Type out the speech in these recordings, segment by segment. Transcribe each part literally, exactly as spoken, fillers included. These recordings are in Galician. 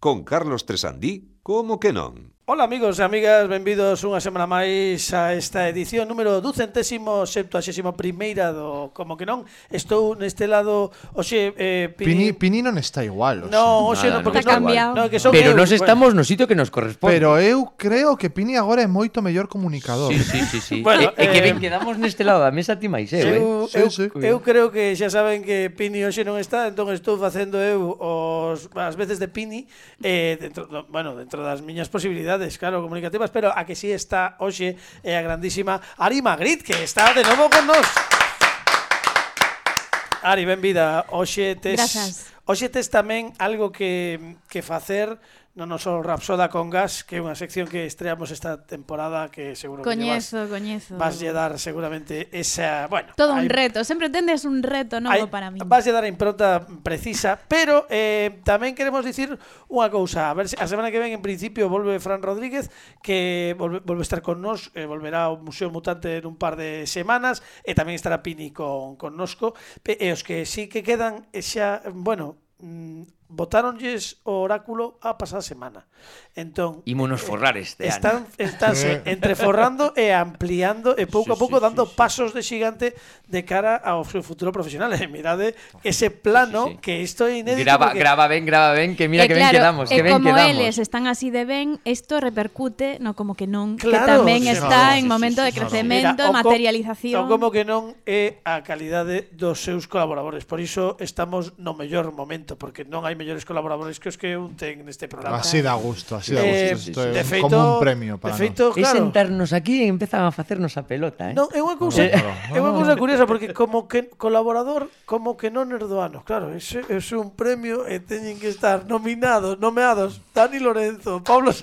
con Carlos Tresandí, como que non. Ola amigos e amigas, benvidos unha semana máis a esta edición número ducentésimo septuagésimo primeira do Como que non. Estou neste lado, oxe, eh, Pini, Pini non está igual, oxe. No, oxe, Nada, non, porque non está non, igual. no, que son Pero eu, nós estamos no sitio que nos corresponde. Pero eu creo que Pini agora é moito mellor comunicador. Sí, sí, sí, sí. Bueno, e, e que eh, ben quedamos neste lado da mesa ti máis eu, eh? Eu, Sí, eu, sí. eu creo que xa saben que Pini hoxe non está, entón estou facendo eu os, as veces de Pini eh, dentro, do, bueno, dentro das miñas posibilidades, claro, comunicativas, pero a que sí está hoxe é a grandísima Ari Magritte, que está de novo con nós. Ari, benvida. Hoxe tes, Grazas. hoxe tes tamén algo que, que facer no noso Rapsoda con Gas, que é unha sección que estreamos esta temporada que seguro Coñezo, que coñezo. vas, vas lle dar seguramente esa, bueno, Todo un hai, reto, sempre tendes un reto hai, novo para min. vas lle dar a impronta precisa, pero eh, tamén queremos dicir unha cousa, a ver se a semana que ven en principio volve Fran Rodríguez, que volve, volve a estar con nós, eh, volverá ao Museo Mutante en un par de semanas, e tamén estará Pini con, con nosco, e os que sí que quedan xa, bueno, mm, botáronlles o oráculo a pasada semana. Entón, Ímonos forrar este están, ano. estánse entreforrando e ampliando e pouco Sí, a pouco sí, dando sí, sí. pasos de xigante de cara ao seu futuro profesional. E mirade ese plano Sí, sí, sí. que isto é inédito. Graba, porque- graba ben, graba ben, que mira E que ben claro, quedamos, e que ben como quedamos. eles están así de ben, isto repercute no como que non, Claro, que tamén sí, está no, en sí, momento sí, de sí, no, no. crecemento, Mira, o de co- materialización. o como que non é a calidade dos seus colaboradores. Por iso estamos no mellor momento, porque non hai mellores colaboradores que os que un ten neste programa. Así da gusto, así da Eh, gusto. Isto de é feito, como un premio para de feito, É claro. sentarnos aquí e empezan a facernos a pelota, eh? Non, é unha cousa, Claro. é unha cousa curiosa porque como que colaborador, como que non nerdoano. Claro, ese é un premio e teñen que estar nominados, nomeados Dani Lorenzo, Pablo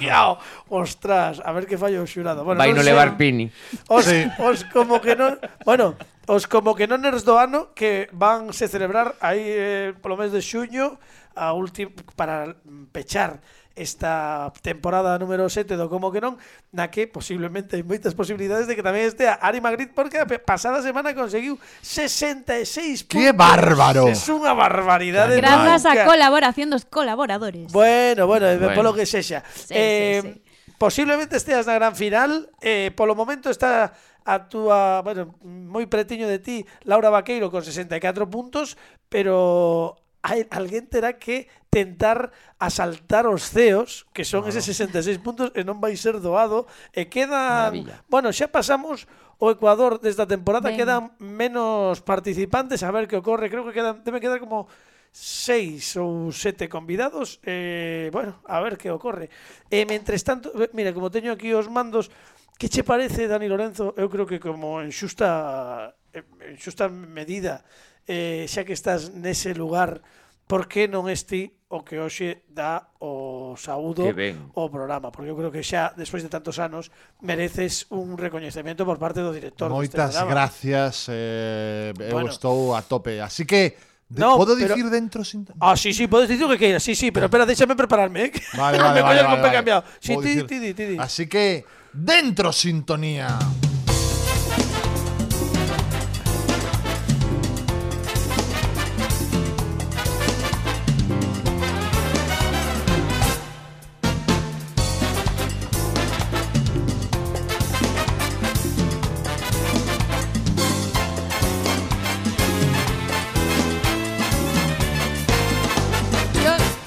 Giao. Ostras, a ver que fallo o xurado. Bueno, Vai non no sei. levar Pini. Os, Sí. os como que non, bueno, os como que non nerds do ano que van se celebrar aí eh, polo mes de xuño a último para pechar esta temporada número sete do Como que non, na que posiblemente hai moitas posibilidades de que tamén estea Ari Magritte, porque a pe- pasada semana conseguiu sesenta e seis puntos. ¡Qué bárbaro! Es unha barbaridade. Grazas a nunca. colaboración dos colaboradores. Bueno, bueno, bueno. Bueno. Polo que sexa. Sí, eh, sí, sí. Posiblemente esteas na gran final. Eh, polo momento está a túa, bueno, moi pretiño de ti, Laura Vaqueiro con sesenta e catro puntos, pero hai alguén terá que tentar asaltar os ceos, que son eses sesenta e seis puntos, e non vai ser doado, e quedan, Maravilla. bueno, xa pasamos o Ecuador desta temporada, Ben. quedan menos participantes, a ver que ocorre, creo que quedan, debe quedar como seis ou sete convidados, eh, bueno, a ver que ocorre. E mentres tanto, mira, como teño aquí os mandos, que che parece, Dani Lorenzo? Eu creo que como en xusta en xusta medida, eh, xa que estás nese lugar, por que non esti o que hoxe dá o saúdo Que ben. o programa? Porque eu creo que xa, despois de tantos anos, mereces un recoñecemento por parte do director deste Moitas programa. gracias, eh, eu Bueno. estou a tope. Así que, de, No, podo pero- dicir dentro sin... Ah, sí, sí, podes dicir o que queiras, sí, sí, pero espera, déxame prepararme, eh. Vale, Non me vale, vale, collas vale, con pé vale. cambiado. Sí, Vou ti, dicir. ti, ti, ti, ti. Así que, dentro sintonía.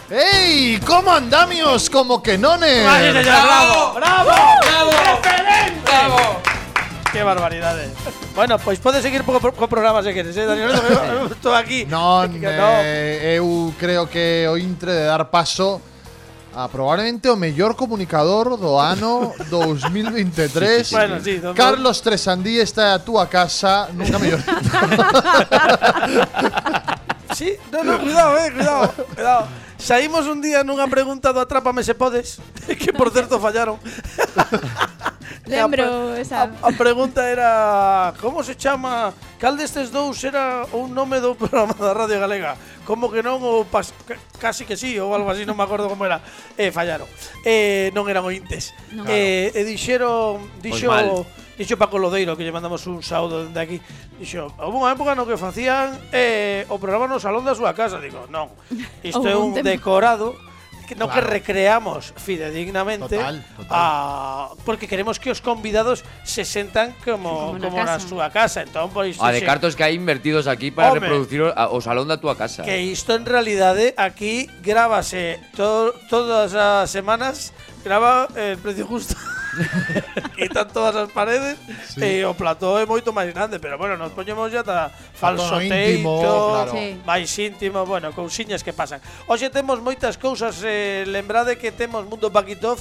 ¡Ey! ¿Cómo andamios? Como que nones. ¡Ay, señor! ¡Bravo! ¡Bravo! ¡Bravo! ¡Excelente! ¡Bravo! ¡Qué barbaridades! Bueno, pois podes seguir co, co programa se queres, eh, Daniel? Eu estou aquí. Non, Que no. eh, eu creo que o intre de dar paso a probablemente o mellor comunicador do ano dous mil veintitrés. Sí, sí, sí, Bueno, sí, don- Carlos Tresandí está a túa casa, nunca mellor. Sí, no, no, cuidado, eh, cuidado, cuidado. Saímos un día nunha pregunta do Atrápame se podes, que por certo fallaron. Lembro a, esa. a, a pregunta era como se chama, cal destes dous era un nome do programa da Radio Galega? Como que non, ou pas, casi que sí, ou algo así, non me acordo como era. E fallaron. Eh, non eran ointes. Non. Eh, e dixeron, dixo, mal. dixo Paco Lodeiro, que lle mandamos un saúdo dende aquí. Dixo, houve unha época no que facían eh, o programa no salón da súa casa. Digo, non, isto é Houve un un tempo. decorado que no Claro. que recreamos fidedignamente Total, total. a, porque queremos que os convidados se sentan como, Como na como na casa. súa casa. Entón, pois, A de sí, cartos que hai invertidos aquí para Home. reproducir o, a- o salón da túa casa. que isto en realidade aquí grábase to, todas as semanas, grava el precio justo. Quitan todas as paredes Sí. e o plató é moito máis grande, pero bueno, nos poñemos ya ta falso tono íntimo, teito, claro. Sí. máis íntimo, bueno, cousiñas que pasan. Hoxe temos moitas cousas, eh, lembrade que temos Mundo Paquitov,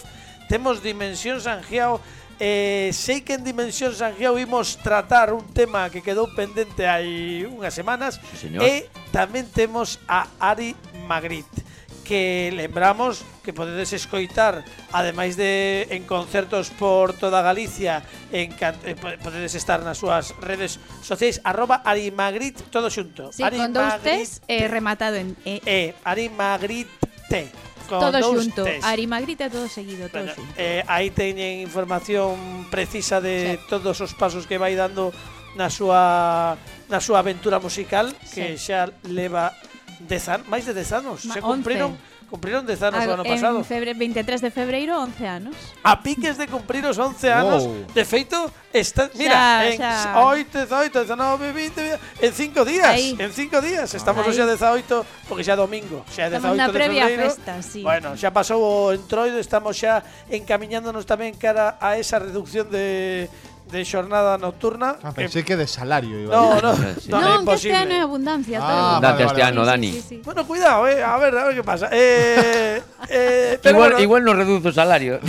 temos Dimensión Sanjiao. Eh, sei que en Dimensión Sanjiao imos tratar un tema que quedou pendente hai unhas semanas. Sí, señor. E tamén temos a Ari Magritte, que lembramos que podedes escoitar, ademais de en concertos por toda Galicia, en can, eh, po- podedes estar nas súas redes sociais, arroba Ari Magritte, todo xunto. Sí, Ari con dous Magritte, tes eh, rematado en E. eh, Ari Magritte, con Todo dous xunto. tes. Ari Magritte todo seguido, todo Bueno, xunto. eh, aí teñen información precisa de Sí. todos os pasos que vai dando na súa na súa aventura musical, que Sí. xa leva dez an, máis de dez anos. Ma- Se cumpriron cumpriron dez anos o ano pasado. En febre, veintitrés de febreiro, once anos. A piques de cumprir os once anos. Wow. De feito, está, mira, Xa, en xa. oito, dezaoito, dezanove, vinte, en cinco días, Aí. en cinco días. Estamos Aí. hoxe a dezaoito, porque xa é domingo, xa é Estamos dezaoito na de previa febreiro. festa, sí. Bueno, xa pasou o entroido, estamos xa encamiñándonos tamén cara a esa reducción de de xornada nocturna. Ah, que- pensé que de salario iba no, a no, Sí. no, é non, que este imposible. ano é abundancia. Ah, todo. vale, Date vale, este ano, Sí, sí, Dani. sí, sí. Bueno, cuidado, eh, a ver, a ver qué pasa. Eh, eh, pero Igual, bueno, igual nos reduce o salario.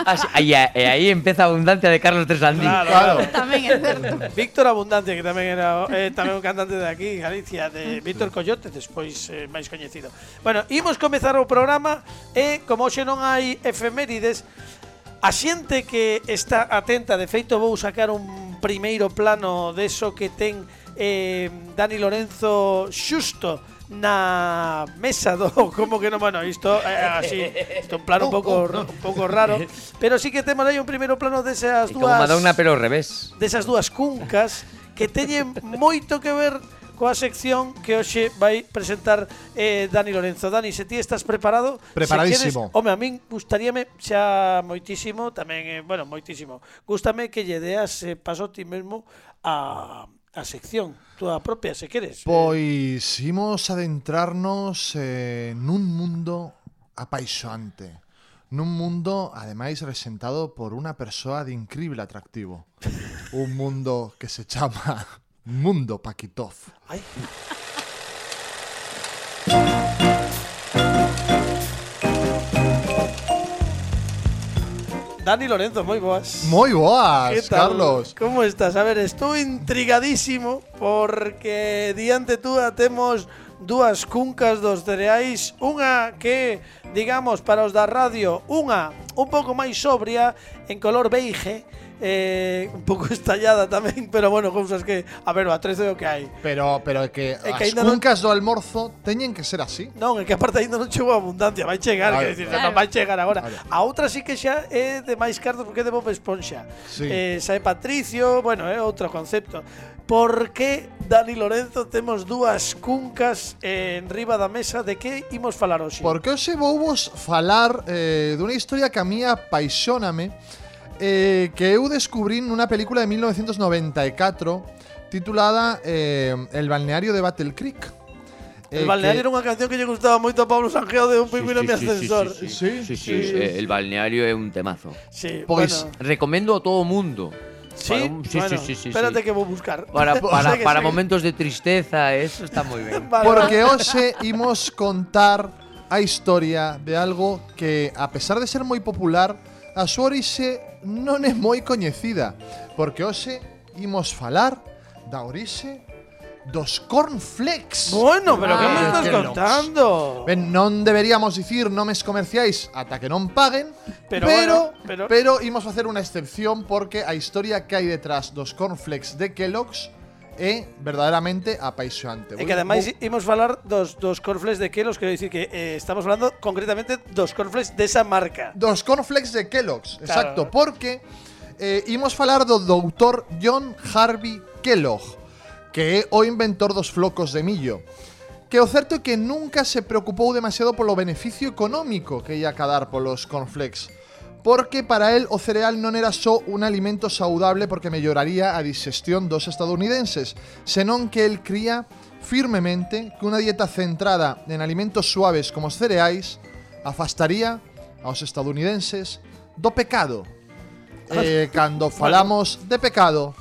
Así- aí, e aí empeza a abundancia de Carlos Tresandí. Claro, Claro. claro. Tamén é certo. Víctor Abundancia, que tamén era eh, tamén un cantante de aquí, Galicia, de Víctor Coyote, despois eh, máis coñecido. Bueno, imos comezar o programa e como hoxe non hai efemérides, a xente que está atenta, de feito vou sacar un primeiro plano deso que ten eh, Dani Lorenzo xusto na mesa do como que non, bueno, isto é así, isto é un plano un pouco un pouco raro, pero sí que temos aí un primeiro plano desas E como dúas Madonna pero ao revés. desas dúas cuncas que teñen moito que ver coa sección que hoxe vai presentar eh, Dani Lorenzo. Dani, se ti estás preparado? Preparadísimo. Se queres, home, a min gustaríame xa moitísimo, tamén, eh, bueno, moitísimo. Gústame que lle deas eh, paso ti mesmo a, a sección, túa propia, se queres. Pois imos adentrarnos eh, nun mundo apaixonante. Nun mundo, ademais, resentado por unha persoa de incrível atractivo. Un mundo que se chama Mundo Paquitov. Ai. Dani Lorenzo, moi boas. Moi boas, ¿Qué tal? Carlos. ¿Cómo estás? A ver, estou intrigadísimo porque diante túa temos dúas cuncas dos cereais, unha que, digamos, para os da radio, unha un pouco máis sobria, en color beige, eh, un pouco estallada tamén, pero bueno, cousas que, a ver, o atrezo é o que hai. Pero, pero é que É as que aínda non- cuncas do almorzo teñen que ser así. Non, é que aparte ainda non chegou a abundancia, vai chegar, Claro. quer dicir, Claro. non vai chegar agora. Claro. A outra sí que xa é de máis cartos porque é de Bob Esponxa. Sí. Eh, sae Patricio, bueno, é outro concepto. Por que, Dani Lorenzo, temos dúas cuncas eh, en riba da mesa? De que imos falar hoxe? Porque hoxe vou vos falar eh, dunha historia que a mí apaixóname, eh, que eu descubrín nunha película de mil novecientos noventa e catro titulada eh, El balneario de Battle Creek. El Eh, balneario que- era unha canción que lle gustaba moito a Pablo Sanjeo de Un pingüino en mi ascensor. Sí, Sí, sí, sí, sí. sí, eh, el balneario é un temazo. Sí, Pois, bueno. Recomendo a todo o mundo. Sí, Para un- sí, bueno, sí, sí, sí, espérate sí. que vou buscar. Para, para, Segue, para segue. momentos de tristeza, eso está moi ben. Vale, Porque hoxe imos contar a historia de algo que, a pesar de ser moi popular, a súa orixe non é moi coñecida. Porque hoxe imos falar da orixe dos cornflakes. Bueno, pero que Ah, me estás Kellogg's. contando? Ben, non deberíamos dicir nomes comerciais ata que non paguen, Pero pero, bueno, pero- pero imos facer unha excepción porque a historia que hai detrás dos cornflakes de Kellogg's é verdadeiramente apaixonante. E que ademais imos falar dos, dos cornflakes de Kellogg's, quero dicir que eh, estamos falando concretamente dos cornflakes desa marca. Dos cornflakes de Kellogg's, Claro. exacto, porque eh, imos falar do doutor John Harvey Kellogg, que é o inventor dos flocos de millo, que o certo é que nunca se preocupou demasiado polo beneficio económico que ia cadar polos cornflakes, porque para él o cereal non era só un alimento saudable porque melloraría a digestión dos estadounidenses, senón que él cría firmemente que unha dieta centrada en alimentos suaves como os cereais afastaría aos estadounidenses do pecado. Eh, cando falamos de pecado,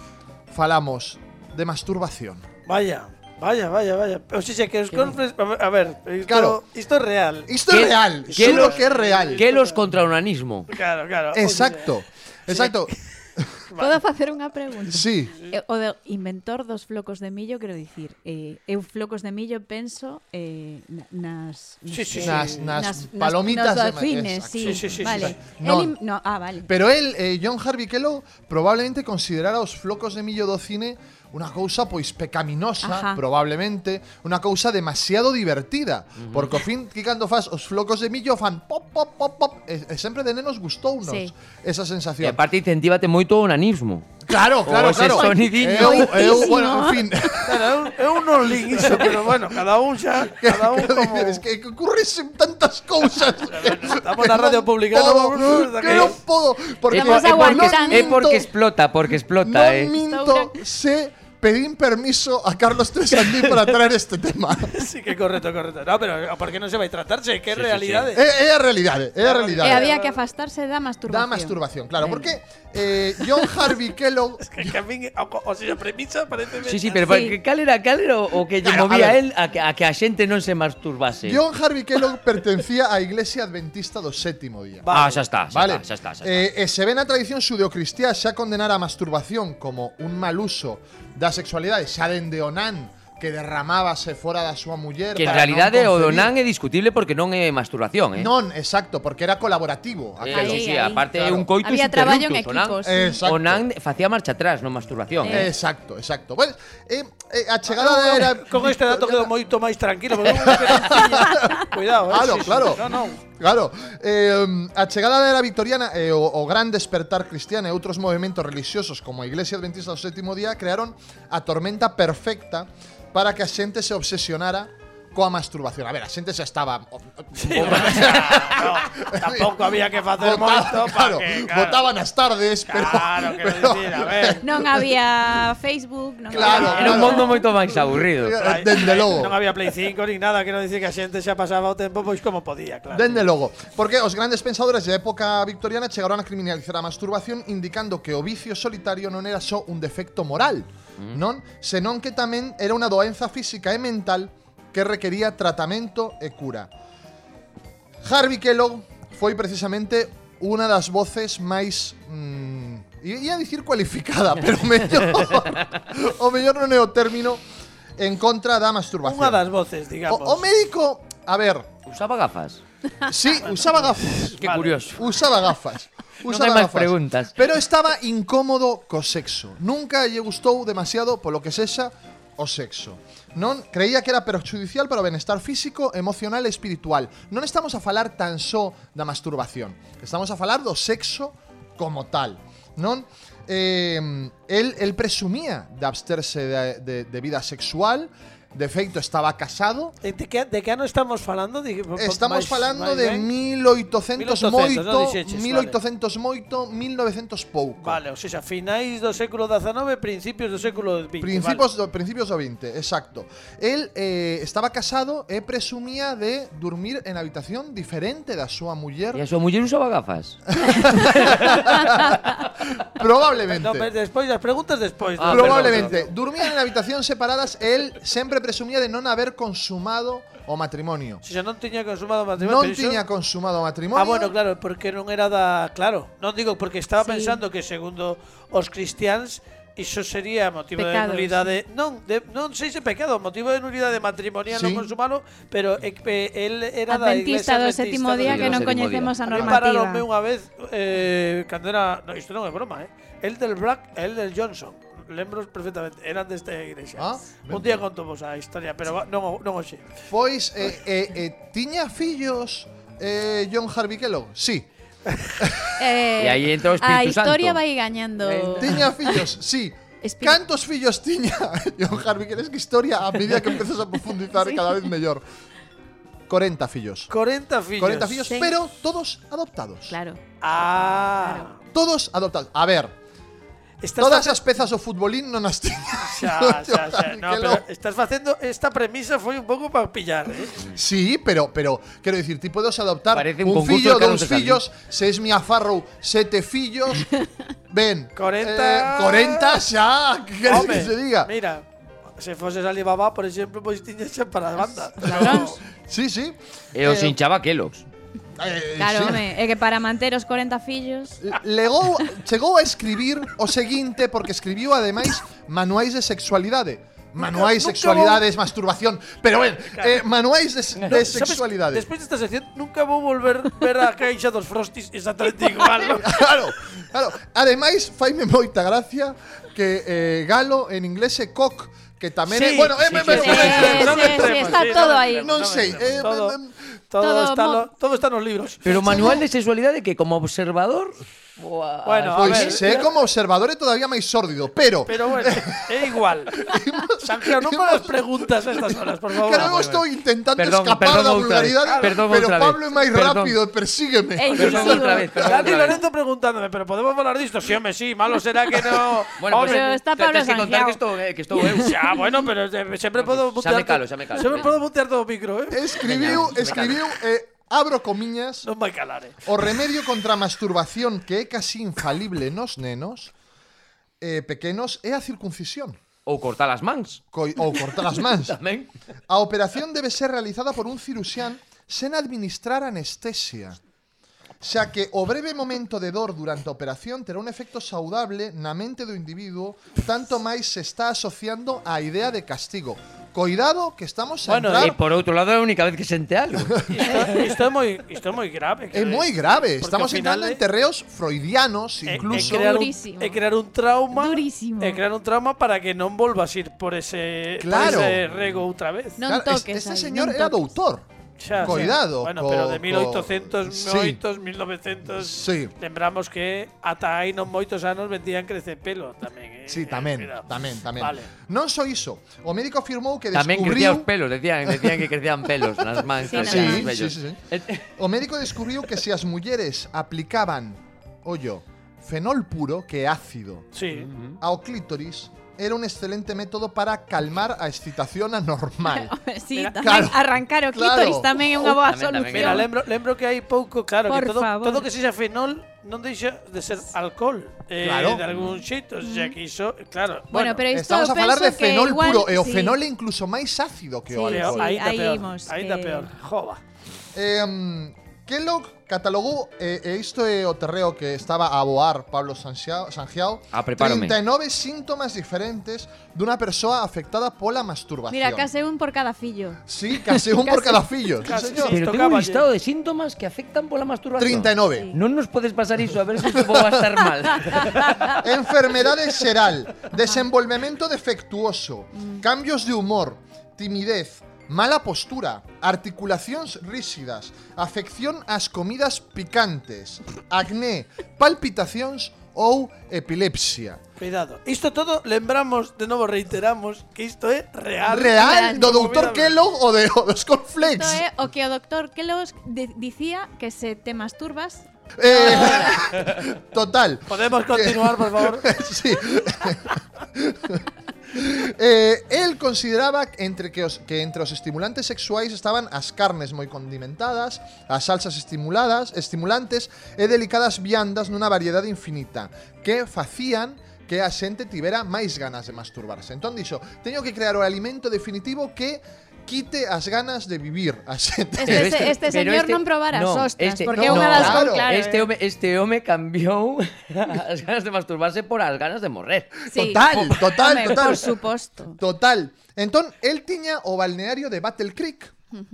falamos de masturbación. Vaya, vaya, vaya, vaya. O sea, que os cornflakes… A ver, isto, Claro. isto é real. Isto é ¿Qué- real, qué xuro los- que é real. Que los contra o nanismo. Claro, claro. Exacto, exacto. Podo facer unha pregunta? Sí. Eh, O de inventor dos flocos de millo, quero dicir, eh, eu flocos de millo penso eh, na- nas, Sí, sí, sí. Nas, nas palomitas nos de dolfines, exacto. sí, Sí, sí, sí, vale. sí. El Non. im- no, ah, vale. Pero él, eh, John Harvey Kellogg, probablemente considerara os flocos de millo do cine unha cousa pois pecaminosa, Ajá. probablemente, unha cousa demasiado divertida, porque ao fin que cando fas os flocos de millo fan pop pop pop pop, e, e sempre de nenos gustounos Sí. esa E sensación. aparte incentívate moito o nanismo. Claro, claro, O ese claro. sonidinho. Eu, eu, Moitísimo. bueno, en fin. Claro, eu, eu non lin iso, pero bueno, cada un xa… Cada un Que como… dices, que, que ocurrisen tantas cousas. Estamos na radio pública, podo, non- non- que non podo, porque É, por- Estamos é porque, aguantando. é porque explota, porque explota, non eh. minto, se pedín permiso a Carlos Tresandí para traer este tema. Sí, que correcto, correcto. No, pero ¿por qué non se vai tratarse? Que Sí, sí, realidade? É, é a realidade, é a realidade. E había que afastarse da masturbación. Da masturbación, claro, Ben. porque eh, John Harvey Kellogg Que, que a min, o, o sea, a premisa parece… Sí, sí, pero Sí. que cal era, cal era o o que lle Claro, a movía a ver. él a que, a que a xente non se masturbase? John Harvey Kellogg pertencía á Iglesia Adventista do Sétimo Día. Va- Ah, xa está, xa Vale. está, xa está, xa está. Eh, e se ve na tradición xudeocristiá xa condenar a masturbación como un mal uso da sexualidade xa dende Onán que derramábase fora da súa muller Que en para realidade non o concebir. donán é discutible porque non é masturbación, eh? Non, exacto, porque era colaborativo. Eh, aquelo. Aí, sí, sí, aí. aparte é Claro. un coitus Había traballo en interruptus, equipos. Onán, Exacto. Onán facía marcha atrás, non masturbación. Eh. Exacto, exacto. Bueno, eh, eh, a chegada da era Con este dato quedo moito máis tranquilo, porque eu que non tiña… Cuidado, eh. Claro, sí, sí. claro. No, no. Claro, eh, a chegada da era victoriana e o, o gran despertar cristiano e outros movementos religiosos como a Iglesia Adventista do Sétimo Día crearon a tormenta perfecta para que a xente se obsesionara coa masturbación. A ver, a xente xa estaba… Sí, bueno, o sea, no, tampouco había que facer moito claro, para que… Claro, votaban as tardes, pero… claro, quero pero- dicir, a ver… Non había Facebook, non Claro, había… Era un claro. mundo moito máis aburrido. Eh, Dende logo. Non había Play cinco nin nada, quero dicir que a xente xa pasaba o tempo pois como podía, claro. Dende logo, porque os grandes pensadores da época victoriana chegaron a criminalizar a masturbación indicando que o vicio solitario non era só un defecto moral, non? Senón que tamén era unha doenza física e mental que requería tratamento e cura. Harvey Kellogg foi precisamente unha das voces máis mm, ia dicir cualificada, pero mellor o mellor non é o término en contra da masturbación. Unha das voces, digamos. O, o médico, a ver, Usaba gafas. sí, usaba gafas. Que Vale. curioso. Usaba gafas. Non Usaba hai máis gafas. preguntas. Pero estaba incómodo co sexo. Nunca lle gustou demasiado polo que sexa o sexo. Non creía que era perjudicial para o benestar físico, emocional e espiritual. Non estamos a falar tan só da masturbación. Estamos a falar do sexo como tal. Non? Eh, el, el presumía de absterse de, de, de vida sexual. De feito, estaba casado. Eh, De que, de que ano estamos falando? Di- po- po- Estamos máis- falando máis de ben? mil oitocentos non moito, dixeches, mil oitocentos moito, mil novecentos pouco. Vale, o sea, finais do século dezanove, principios do século vinte. Principios do, principios do vinte, exacto. Él eh, estaba casado e presumía de dormir en habitación diferente da súa muller. E a súa muller usaba gafas. Probablemente. No, pero despois, as preguntas despois. Ah, no, Probablemente. Dormían en habitacións separadas e él sempre presumía de non haber consumado o matrimonio. Se xa non tiña consumado matrimonio. Non pero iso- tiña consumado o matrimonio. Ah, bueno, claro, porque non era da… Claro, non digo porque estaba Sí. pensando que segundo os cristiáns iso sería motivo de Pecado, nulidade. Non, de, non sei se pecado, motivo de nulidade matrimonial Sí. non consumalo, pero é que él era da Adventista iglesia do adventista sétimo do día do que non sétimo coñecemos a A mí pararonme normativa. unha vez eh, cando era… No, isto non é broma, eh? El del Black e el del Johnson. Lembro perfectamente, eran desta iglesia. Ah, Un día conto vos a historia, pero va- non, o- non hoxe. Pois, eh, eh, eh, tiña fillos eh, John Harvey Kellogg? Sí. Eh, E aí entra o a Espírito historia Santo. vai gañando. Tiña fillos, sí. Explica- Cantos fillos tiña? John Harvey, que que historia a medida que empezas a profundizar Sí. cada vez mellor. corenta fillos. corenta fillos. corenta fillos, Sí. pero todos adoptados. Claro. Ah. Todos adoptados. A ver, Estás todas face- as pezas do futbolín non as tiña. Xa, xa, xa. No, Que pero lo- estás facendo esta premisa foi un pouco para pillar, eh? Sí, pero, pero quero dicir, ti podes adoptar Parece un un, concurso fillo, de Carlos dous de Sandí. fillos, se es Mia Farrow, sete fillos. Ben, corenta. eh, corenta xa, que queres Home, que se diga? Mira, se foses Alibaba, por exemplo, pois tiñas xa para a banda. Ladróns. Sí, sí. E os Eh, hinchaba Kellogg's. eh, Claro, sí. home, é que para manter os corenta fillos... Legou, chegou a escribir o seguinte porque escribiu ademais manuais de sexualidade. Manuais, nunca sexualidades, masturbación. Pero ben, eh, manuais de, No, de sabes, sexualidade. Despois desta sección nunca vou volver ver a caixa dos Frosties exactamente igual. ¿no? Claro, claro. Ademais, faime moita gracia que eh, Galo en inglés é cock, que tamén é, Sí, bueno, eh, sí, me- sí, me- sí, me- sí, no sí, me entremos, está sí, todo no me aí. entremos, Non me sei, entremos. eh, todo, em, todo, todo está mo- lo- todo está nos libros. Pero manual de sexualidade que como observador... Buah, Bueno, a Pois ver, se é como observador é todavía máis sórdido, pero Pero bueno, é igual. Sanjeo, non me hagas preguntas a estas horas, por favor. Creo que estou intentando Perdón, escapar perdón da outra vez. vulgaridade, Perdón pero outra vez. Pablo é máis Perdón. rápido e persígueme. É Perdón inclusivo. outra vez, perdón Dani outra vez. Lorenzo preguntándome, pero podemos falar disto? Sí, home, sí, malo será que no. Bueno, pues, Pero Home, está Pablo tens que contar Sangiao. que estou, eh, que estou eu. xa, bueno, pero eh, sempre podo Xa mutear. me calo, xa me calo. Sempre podo mutear todo o micro, eh? Escribiu, Veña, escribiu, eh, abro comiñas, Non vai calar, eh? o remedio contra a masturbación que é casi infalible nos nenos eh, pequenos é a circuncisión. Ou cortar as mans. Coi, ou cortar as mans. Tamén. A operación debe ser realizada por un ciruxán sen administrar anestesia, xa que o breve momento de dor durante a operación terá un efecto saudable na mente do individuo, tanto máis se está asociando á idea de castigo. Coidado que estamos a Bueno, entrar... E por outro lado é a única vez que sente algo. Isto, isto é moi, isto é moi grave. É moi grave, Porque estamos ao final entrando en é- terreos freudianos É, é incluso. crear un, Durísimo. é crear un trauma. Durísimo. É crear un trauma para que non volvas ir por ese, Claro. por ese rego outra vez. Non Claro, es- toques este aí, señor non era toques. doutor. Xa, Coidado xa. Bueno, co- pero de co- mil oitocentos, Sí. mil novecientos, Sí. lembramos que ata aí non moitos anos vendían crecer pelo tamén, eh. Sí, tamén, Cuidado. tamén, tamén. Vale. Non só iso, o médico afirmou que Tamén crecía descubriu os pelos, decían, decían que crecían pelos nas mans. Sí, crecían Sí, os vellos. sí, sí, sí. O médico descubriu que se as mulleres aplicaban, ollo, fenol puro, que é ácido, Sí. ao clítoris, era un excelente método para calmar a excitación anormal. Sí, Mira, tamén claro, arrancar o claro. clítoris tamén é unha boa Tamén, tamén, solución. Mira, lembro, lembro que hai pouco, claro, Por que todo, favor. todo que sexa fenol non deixa de ser alcohol, eh, Claro. de algún xeito, o sea que iso, claro. Bueno, pero isto Estamos a falar de penso que fenol igual, puro, e o sí. fenol é incluso máis ácido que o Sí, peor, alcohol. ainda aí peor, imos, ainda que- peor. Jova. Eh, Kellogg catalogou, e, e isto é o terreo que estaba a aboar Pablo Sanxiao, Sangiao, Ah, prepárame. trinta e nove síntomas diferentes dunha persoa afectada pola masturbación. Mira, case un por cada fillo. Sí, case un por Case- cada fillo. Sí, case, señor. sí. Pero tengo Tocaba, un listado de síntomas que afectan pola masturbación. trinta e nove. Sí. Non nos podes pasar iso, a ver se isto va a estar mal. Enfermedade xeral, desenvolvemento defectuoso, cambios de humor, timidez, mala postura, articulacións ríxidas, afección ás comidas picantes, acné, palpitacións ou epilepsia. Cuidado. Isto todo lembramos, de novo reiteramos, que isto é real. Real do Como doutor vida- Kellogg ou de o dos Isto cornflakes. é o que o doctor Kellogg di- dicía que se te masturbas. Eh, total. Podemos continuar, por favor. Sí. Eh, el consideraba entre que, os, que entre os estimulantes sexuais estaban as carnes moi condimentadas, as salsas estimuladas, estimulantes e delicadas viandas nunha variedade infinita que facían que a xente tivera máis ganas de masturbarse. Entón dixo, teño que crear o alimento definitivo que quite as ganas de vivir a xente. Este, Pero este, este pero señor este- non probara no, as ostras, este- porque é no, unha das claro. con claro. Este eh. home, este home cambiou as ganas de masturbarse por as ganas de morrer. Sí. Total, total, Home, total. por suposto. Total. Entón, el tiña o balneario de Battle Creek,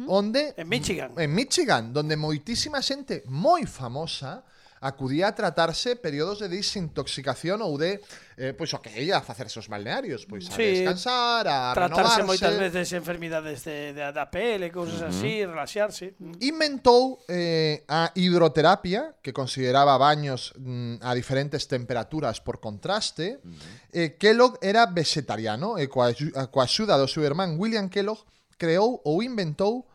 onde En Michigan. en Michigan, donde moitísima xente moi famosa acudía a tratarse períodos de desintoxicación ou de, eh, pois, o que ia a facerse os balnearios, pois a Sí, descansar, a Tratarse renovarse. moitas veces enfermidades de, de, da pele, cousas así, relaxarse. Inventou eh, a hidroterapia, que consideraba baños mm, a diferentes temperaturas por contraste. eh, Kellogg era vegetariano e coa, axu- coa axuda do seu irmán William Kellogg creou ou inventou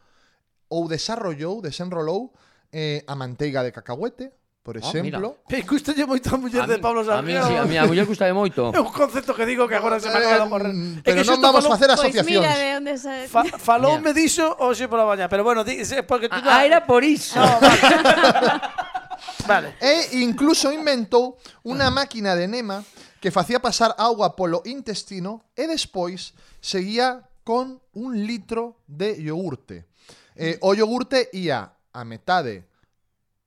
ou desarrollou, desenrolou eh, a manteiga de cacahuete, por Ah, exemplo. Me gustalle moito a muller A de mí- Pablo A mí, Sanjeo. sí, a mí a muller gustabe moito. É un concepto que digo que agora se me acaba de ocorrer. Eh, É pero que non xusto vamos falou- facer Pois asociacións. mira de onde sa... Fa, faloume Mira. diso hoxe pola mañá, pero bueno, di, se- porque tú Ah, era por iso. No, vale. Vale. E incluso inventou unha máquina de enema que facía pasar auga polo intestino e despois seguía con un litro de iogurte. Eh, o iogurte ia a metade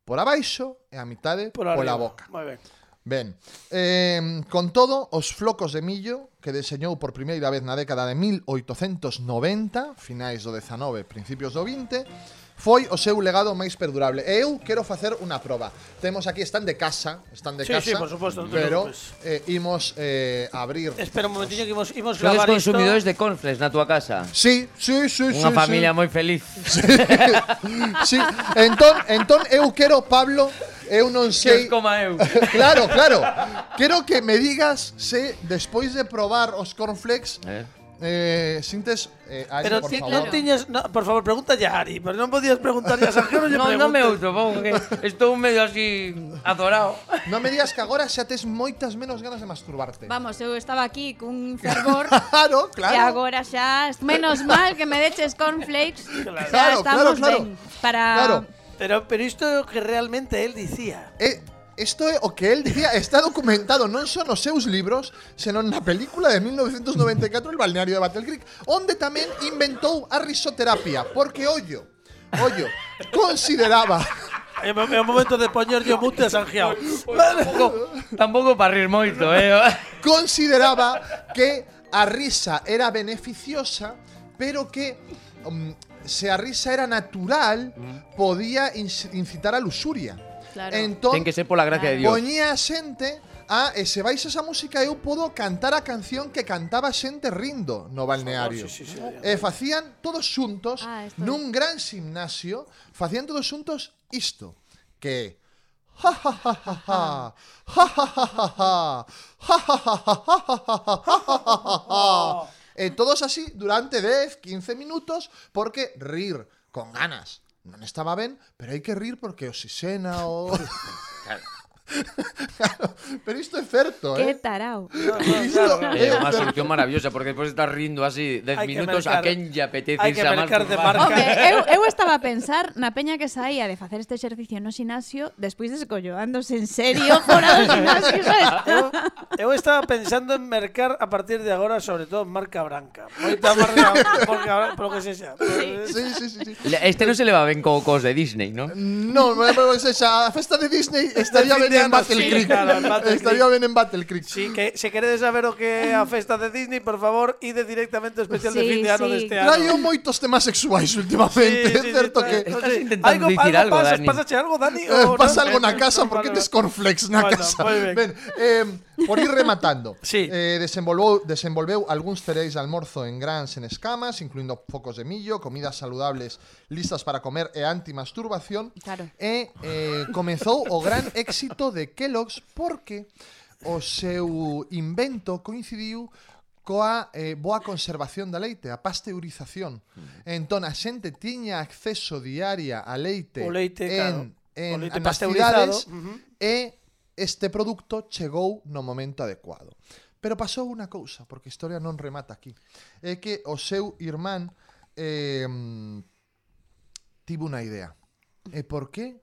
por abaixo e a metade Por pola arriba. boca. Moi ben. Ben, eh, con todo, os flocos de millo que deseñou por primeira vez na década de mil oitocentos noventa, finais do dezanove, principios do vinte, foi o seu legado máis perdurable. E eu quero facer unha proba. Temos aquí, están de casa, están de Sí, casa, sí, por suposto, non te pero preocupes. eh, imos eh, abrir. Espera un momentiño que imos, imos Sodes gravar isto. consumidores de cornflakes na túa casa. Sí, sí, sí, Unha sí, familia sí. moi feliz. Sí, entón, entón eu quero, Pablo, eu non Que sei. os coma eu. Claro, claro. Quero que me digas se despois de probar os cornflakes Eh. eh, sintes eh, Ari, Pero por ti, favor. non tiñas, no, por favor, pregunta ya a Ari, pero non podías preguntar a Sanjeo, non lle No, non me preguntes. outo, porque estou medio así azorado. Non me digas que agora xa tes moitas menos ganas de masturbarte. Vamos, eu estaba aquí cun fervor Claro, claro. e agora xa, menos mal que me deches cornflakes, Claro. xa Claro, estamos claro, claro. ben para Claro. Pero, pero isto é o que realmente él dicía. Eh, Isto é o que él dicía, está documentado non só nos seus libros, senón na película de mil novecientos noventa e catro, El balneario de Battle Creek, onde tamén inventou a risoterapia, porque ollo, ollo, consideraba É o é o momento de poñer yo mute a Sanjeo. Tampouco, tampouco para rir moito, eh. consideraba que a risa era beneficiosa, pero que um, se a risa era natural, podía inc- incitar a luxuria. Claro. Entón, Ten que ser pola gracia de Dios. poñía a xente a, e se vais a esa música eu podo cantar a canción que cantaba xente rindo no balneario. Sí, sí, sí, E facían todos xuntos Ah, esto- nun gran gimnasio, facían todos xuntos isto, que ja ja ja ja ja ja ja ja ja ja ja ja ja ja ja ja ja. E todos así durante dez, quince minutos, porque rir con ganas non estaba ben, pero hai que rir porque oxixena o... Claro, pero isto é certo, Que eh? tarao. Isto É é unha certo. solución maravillosa, porque despois de estar rindo así dez Hai que minutos, mercar- a quen lle apetece hai que irse a mercar de masturbar. marca. Home, eu, eu estaba a pensar na peña que saía de facer este exercicio no xinasio despois descolloándose en serio fora do xinasio, sabes? Eu, eu estaba pensando en mercar a partir de agora, sobre todo marca branca. Moita marca, marca branca, polo que sexa. Sí, sí, sí, sí. Este non se leva ben co cos de Disney, ¿no? No, pero es esa, a festa de Disney estaría fin ben de en ano, Battle sí, Creek. claro, en Battle Estaría ben en Battle Creek. Sí, que se queredes saber o que é a festa de Disney, por favor, ide directamente ao especial de Sí, fin de ano sí. deste ano. Traio moitos temas sexuais últimamente, é certo trae- que Estás sí. intentando dicir algo, pasa, Dani. Pásache algo, Dani? eh, o pasa non? algo na Eh, casa no, porque vale, tes vale. cornflakes na Bueno, casa. moi ben. Ben, eh, por ir rematando. Sí. Eh, desenvolveu, desenvolveu algúns cereais de almorzo en grans en escamas, incluindo focos de millo, comidas saludables listas para comer e antimasturbación. Claro. E eh, comezou o gran éxito de Kellogg's porque o seu invento coincidiu coa eh, boa conservación da leite, a pasteurización. Entón, a xente tiña acceso diaria a leite, O leite, en, claro. en, O leite nas pasteurizado, cidades ujú. e este produto chegou no momento adecuado. Pero pasou unha cousa, porque a historia non remata aquí. É que o seu irmán eh, tivo unha idea. E por que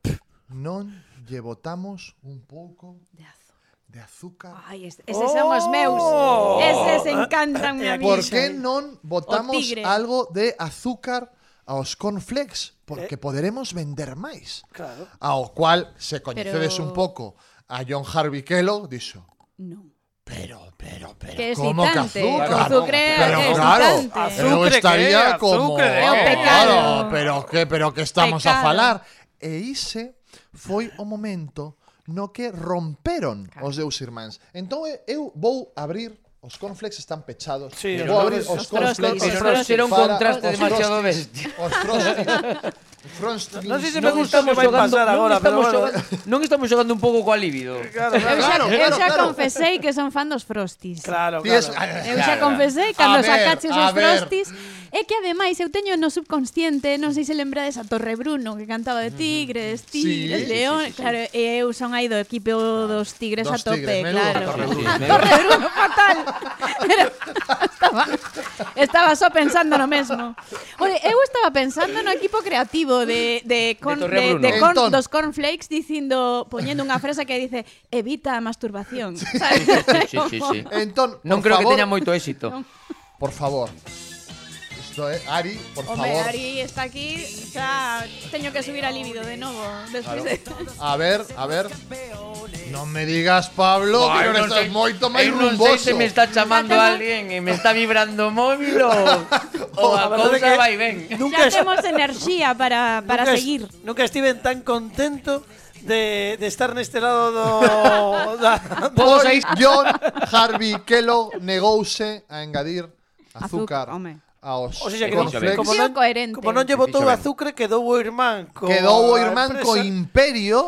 non lle botamos un pouco De azo. de azúcar? Ai, es- eses son os meus. Oh. Eses encantan a mí. Por Iso, que eh. non botamos tigre. algo de azúcar aos cornflakes? Porque poderemos vender máis. Claro. Ao cual, se coñecedes Pero- un pouco a John Harvey Kellogg, dixo, Non. pero, pero, pero, Que como que excitante. azúcar? O azucre pero é claro, excitante. eu Azucre estaría que é, como, azucre de É o que? pecado. claro, pero que, pero que estamos a Pecado. falar. E ise foi o momento no que romperon Claro. os deus irmáns. Entón eu vou abrir. Os cornflakes están pechados. Sí, vou os abrir Frosties. os cornflakes. Pero non será un para contraste os demasiado Frosties. bestia. Os Frosties. Frosties. Non sei se Non me gusta o que estamos vai xogando- pasar non agora, pero estamos bueno. xogando- Non estamos xogando un pouco coa libido. Claro, Eu claro. xa, Claro, eu claro, xa claro. confesei que son fan dos Frosties. Claro, Ti es- claro. Eu xa confesei cando A ver, sacaches a os ver. Frosties. É que ademais eu teño no subconsciente, non sei se lembrades a Torre Bruno que cantaba de tigres, tigres, Sí, león, claro, e eu son aí do equipo dos tigres Dos a tope, tigres, menudo claro. Torre Bruno. A Torre Bruno fatal. Era, estaba, estaba só pensando no mesmo. Ore, eu estaba pensando no equipo creativo de de con, De Torre de, Bruno. de con, Entón. dos cornflakes dicindo poñendo unha frase que dice evita a masturbación. ¿Sabes? Sí, sí, sí. Entón, Non por creo que favor, teña moito éxito. Por favor. Isto é, Ari, por Hombre, favor. Ari está aquí, xa teño que subir a libido de novo despois de... A ver, a ver. Non me digas, Pablo, que non estás moito máis eu non sei rumboso. se me está chamando Ya temos- alguén e me está vibrando o móvil ou, ou a A verdade cousa que vai ben. Nunca, Xa temos enerxía para, para nunca, seguir. Nunca estiven tan contento de, de estar neste lado do... da, Todos aí. John Harvey Kellogg negouse a engadir azúcar, Azúcar, home. aos O sea, que cornflakes. como Tío non, coherente. como non lle botou Fixo ben. azúcar, quedou o irmán co Quedou o irmán a co empresa. imperio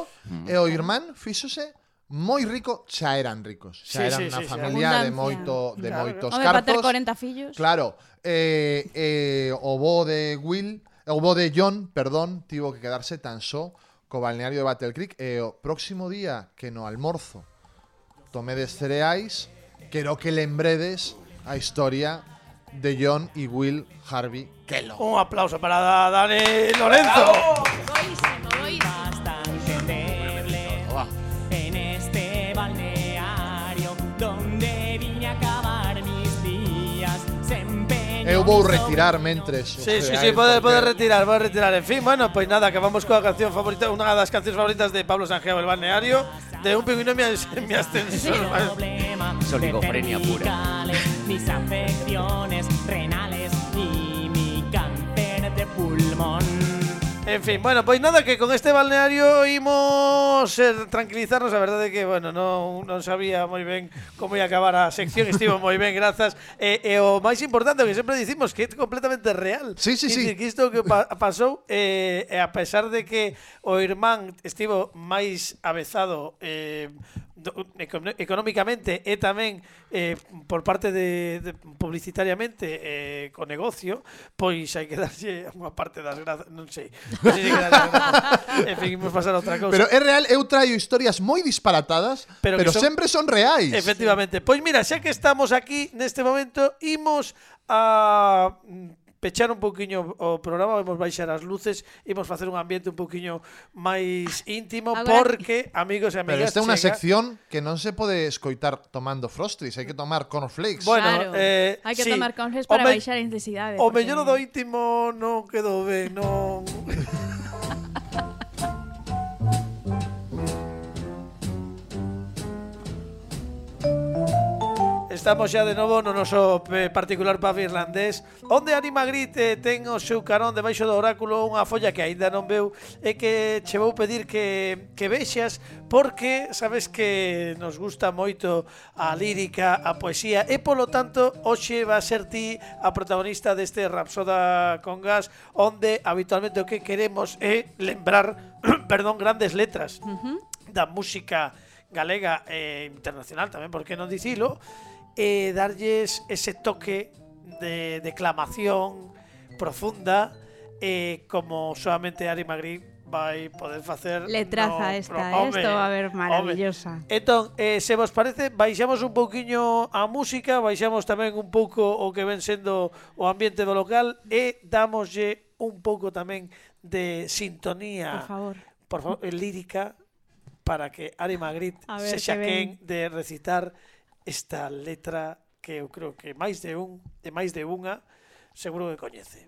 e o irmán fíxose moi rico, xa eran ricos. Xa Sí, eran sí, unha sí, sí. familia de Abundancia. moito de Claro. moitos Home, para ter cartos. corenta fillos. Claro, eh, eh, o bo de Will, o bo de John, perdón, tivo que quedarse tan só co balneario de Battle Creek e o próximo día que no almorzo tomedes cereais, quero que lembredes a historia de John y Will Harvey Kellogg. Un aplauso para Da- Dani Lorenzo. Boísimo, boísimo. Bastante endeble en este balneario donde vine a acabar mis días. Se empeñó Eu vou mi retirar mentres. os Sí, sí, sí, cereais, pode, porque- pode retirar, pode retirar. En fin, bueno, pois nada, que vamos coa canción favorita, unha das cancións favoritas de Pablo Sanjeo, El Balneario, de un pingüino en mi, mi ascensor. problema Es oligofrenia de pura. cervicales, mis afecciones renales y mi cáncer de pulmón. En fin, bueno, pois nada, que con este balneario imos eh, tranquilizarnos. A verdade que, bueno, non, non sabía moi ben como ia acabar a sección. Estivo moi ben, grazas. E, e o máis importante, o que sempre dicimos, que é completamente real. Sí, sí, Quer sí. dicir, que isto que pa pasou, eh, e a pesar de que o irmán estivo máis avezado eh, do, econo- económicamente e tamén eh, por parte de, de publicitariamente eh, co negocio, pois hai que darlle unha parte das grazas, non sei. Non sei se que darlle grazas. En fin, imos pasar a outra cousa. Pero é real, eu traio historias moi disparatadas, Pero pero, que son- sempre son reais. Efectivamente. Pois mira, xa que estamos aquí neste momento, imos a mm, pechar un pouquiño o programa, vamos baixar as luces, imos facer un ambiente un pouquiño máis íntimo, Agora- porque, amigos e Pero amigas, esta é unha chega- sección que non se pode escoitar tomando Frosties, hai que tomar cornflakes. Bueno, Claro. eh, Hai que sí. tomar confes O para me- baixar a intensidade. O porque- mellor do íntimo non quedou ben, non... Estamos xa de novo no noso eh, particular pub irlandés, onde Ari Magritte ten o seu carón debaixo do oráculo unha folla que aínda non veu e que che vou pedir que, que vexas, porque sabes que nos gusta moito a lírica, a poesía, e polo tanto hoxe va a ser ti a protagonista deste Rapsoda con Gas, onde habitualmente o que queremos é lembrar perdón, grandes letras da música galega e internacional tamén, por que non dicilo, e darlles ese toque de declamación profunda, e como solamente Ari Magritte vai poder facer Letraza no esta, pro- eh, home, esto va a ver home. maravillosa. Entón, eh, se vos parece, baixamos un pouquiño a música, baixamos tamén un pouco o que ven sendo o ambiente do local e damoslle un pouco tamén de sintonía, Por favor. por favor, eh, lírica, para que Ari Magritte A ver sexa que quen ven. de recitar esta letra que eu creo que máis de un, de máis de unha, seguro que coñece.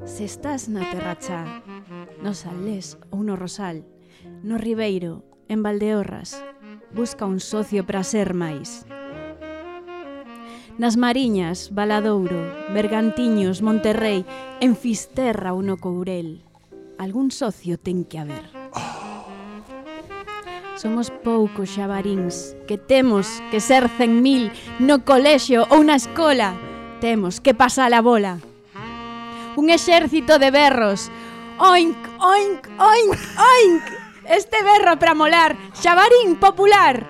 Se estás na terracha, no salés ou no rosal, No Ribeiro, en Valdeorras, busca un socio para ser máis. Nas Mariñas, Valadouro, Bergantiños, Monterrei, en Fisterra ou no Courel, algún socio ten que haber. Somos poucos xabaríns que temos que ser cen mil no colexio ou na escola. Temos que pasar a bola. Un exército de berros. Oink, oink, oink, oink. Este berro para molar. Xabarín popular.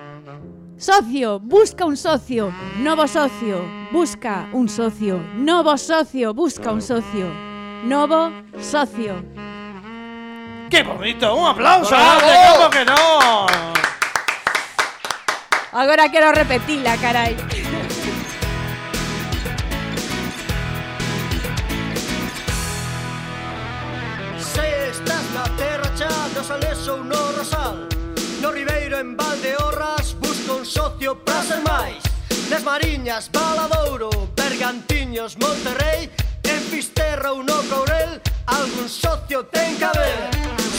Socio, busca un socio. Novo socio, busca un socio. Novo socio, busca un socio. Novo socio. ¡Qué bonito! ¡Un aplauso! ¡Bravo! ¿Cómo que no? Agora quero repetila, carai. Se estás na terra xa, no Salés ou no Rosal, no Ribeiro en Valdeorras, busca un socio para ser máis. Nas Mariñas, Valadouro, Bergantiños, Monterrei, en Fisterra ou no Courel, algún socio ten que haber.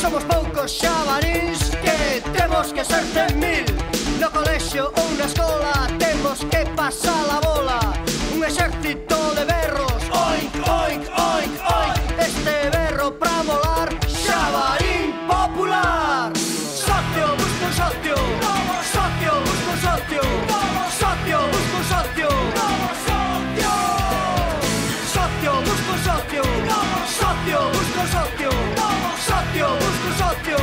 Somos poucos xabaríns que temos que ser cen mil. No colexio ou na escola temos que pasar a bola. Un exército de berros. Oink, oink, oink, oink. Este berro pra molar. Xabarín popular. Socio, busca un socio. Socio, busca un socio. Socio, busca un socio. Socio, busca un socio. Socio, busca un socio. Socio, busca un socio.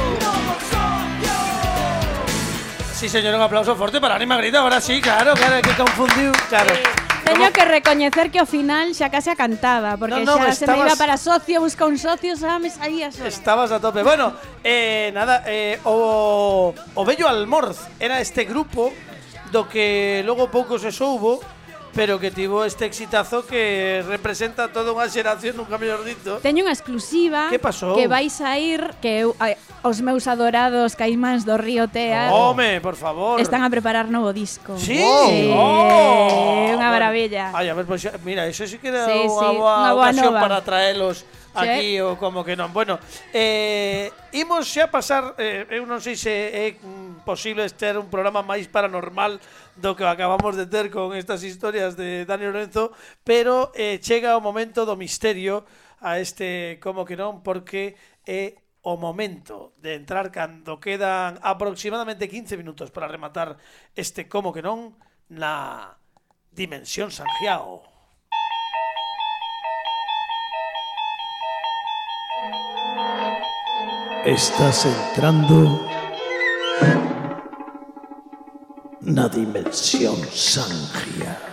Sí, señor, un aplauso fuerte para Anima Grita. Ahora sí, claro, claro, que confundiu. Claro. Teño que recoñecer que ao final xa case a cantaba, porque No, no, xa se me estabas- iba para socio, busca un socio, xa me saía sola. Estabas a tope. Bueno, eh, nada, eh, o, o Bello Almorz era este grupo do que logo pouco se soubo, pero que tivo este exitazo que representa toda unha xeración, nunca mellor dito. Teño unha exclusiva Que pasou? que vais a ir, que eu, ai, os meus adorados caimáns do Río Tea Home, por favor. están a preparar novo disco. Sí. Sí, Oh. unha maravilla. Ay, a ver, pues, mira, eso sí que era Sí, unha sí, boa unha boa ocasión nova. para traelos aquí Sí. ou como que non. Bueno, eh, imos xa pasar, eh, eu non sei se é mm, posible ter un programa máis paranormal do que acabamos de ter con estas historias de Dani Lorenzo, pero eh, chega o momento do misterio a este como que non, porque é o momento de entrar cando quedan aproximadamente quince minutos para rematar este como que non na Dimensión Sanjiao. Estás entrando na Dimensión Sanjiao.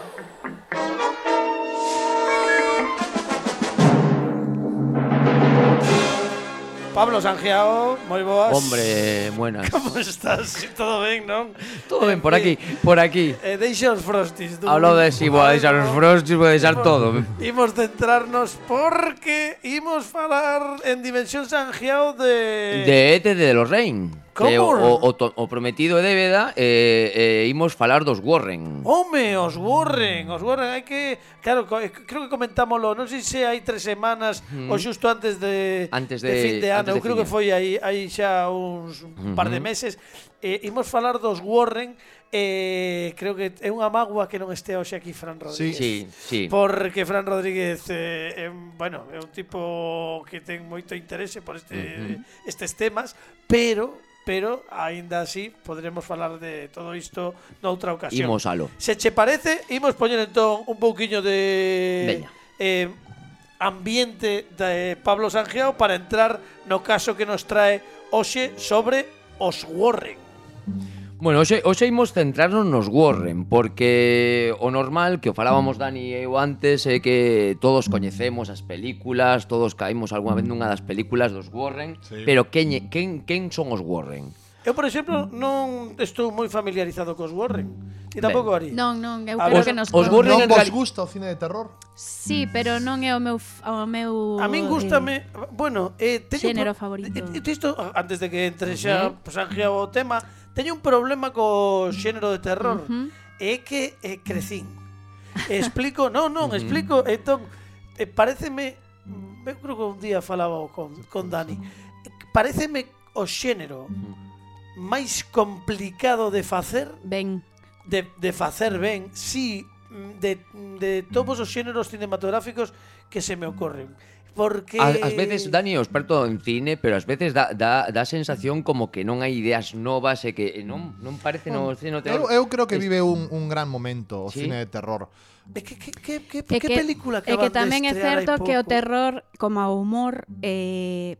Pablo Sanjiao, moi boas. Hombre, buenas. Como estás? Todo ben, non? Todo ben, por aquí, por aquí. Eh, deixa os frostis. tú. Hablo de si vou a deixar os frostis, vou a deixar todo. Imos centrarnos porque imos falar en Dimensión Sanjiao de... De Ete de los Rein. Que o, Como? o, to- o prometido de débeda eh, eh, imos falar dos Warren. Home, os Warren, os Warren, hai que... Claro, co- creo que comentámoslo, non sei se hai tres semanas ou xusto antes de, Antes de de- fin de ano, antes de eu creo fin que de- foi aí, aí xa uns un par de meses. Eh, imos falar dos Warren, eh, creo que é unha mágoa que non este hoxe aquí Fran Rodríguez. Sí, sí. Porque Fran Rodríguez eh, é, un- bueno, é un tipo que ten moito interese por este, estes temas, pero pero aínda así poderemos falar de todo isto noutra ocasión. Imos alo. Se che parece, imos poñer entón un pouquiño de Veña. eh, ambiente de Pablo Sanjiao para entrar no caso que nos trae hoxe sobre os Warren. Bueno, hoxe, hoxe imos centrarnos nos Warren, porque o normal, que o falábamos Dani e eu antes, é que todos coñecemos as películas, todos caímos algunha vez nunha das películas dos Warren, Sí. pero quen, é- quen, quen son os Warren? Eu, por exemplo, non estou moi familiarizado cos Warren. Ti tampouco, Ari? Non, non, eu A creo ver, que nos os conta. Warren Non en vos reali- gusta o cine de terror? Sí, pero non é o meu f- o meu A min gústame, bueno, eh, teño Xénero pro- favorito. eh, eh, Isto, antes de que entre xa uh -huh. Sanjiao o tema, teño un problema co xénero de terror. Ujú. É que eh, crecín. Explico, non, non, explico, entón eh, paréceme, eu creo que un día falaba con con Dani. Paréceme o xénero máis complicado de facer, Ben, de, de facer ben, sí, de, de todos os xéneros cinematográficos que se me ocorren. Porque... Ás, ás veces, Dani é o experto en cine, pero ás veces dá, dá, dá sensación como que non hai ideas novas e que non, non parece no cine Eu, eu creo que vive un, un gran momento o Sí? cine de terror. Que, que, que, que, é que que, película é que acaban tamén de é estrear hai certo que o pouco? terror, como o humor, eh,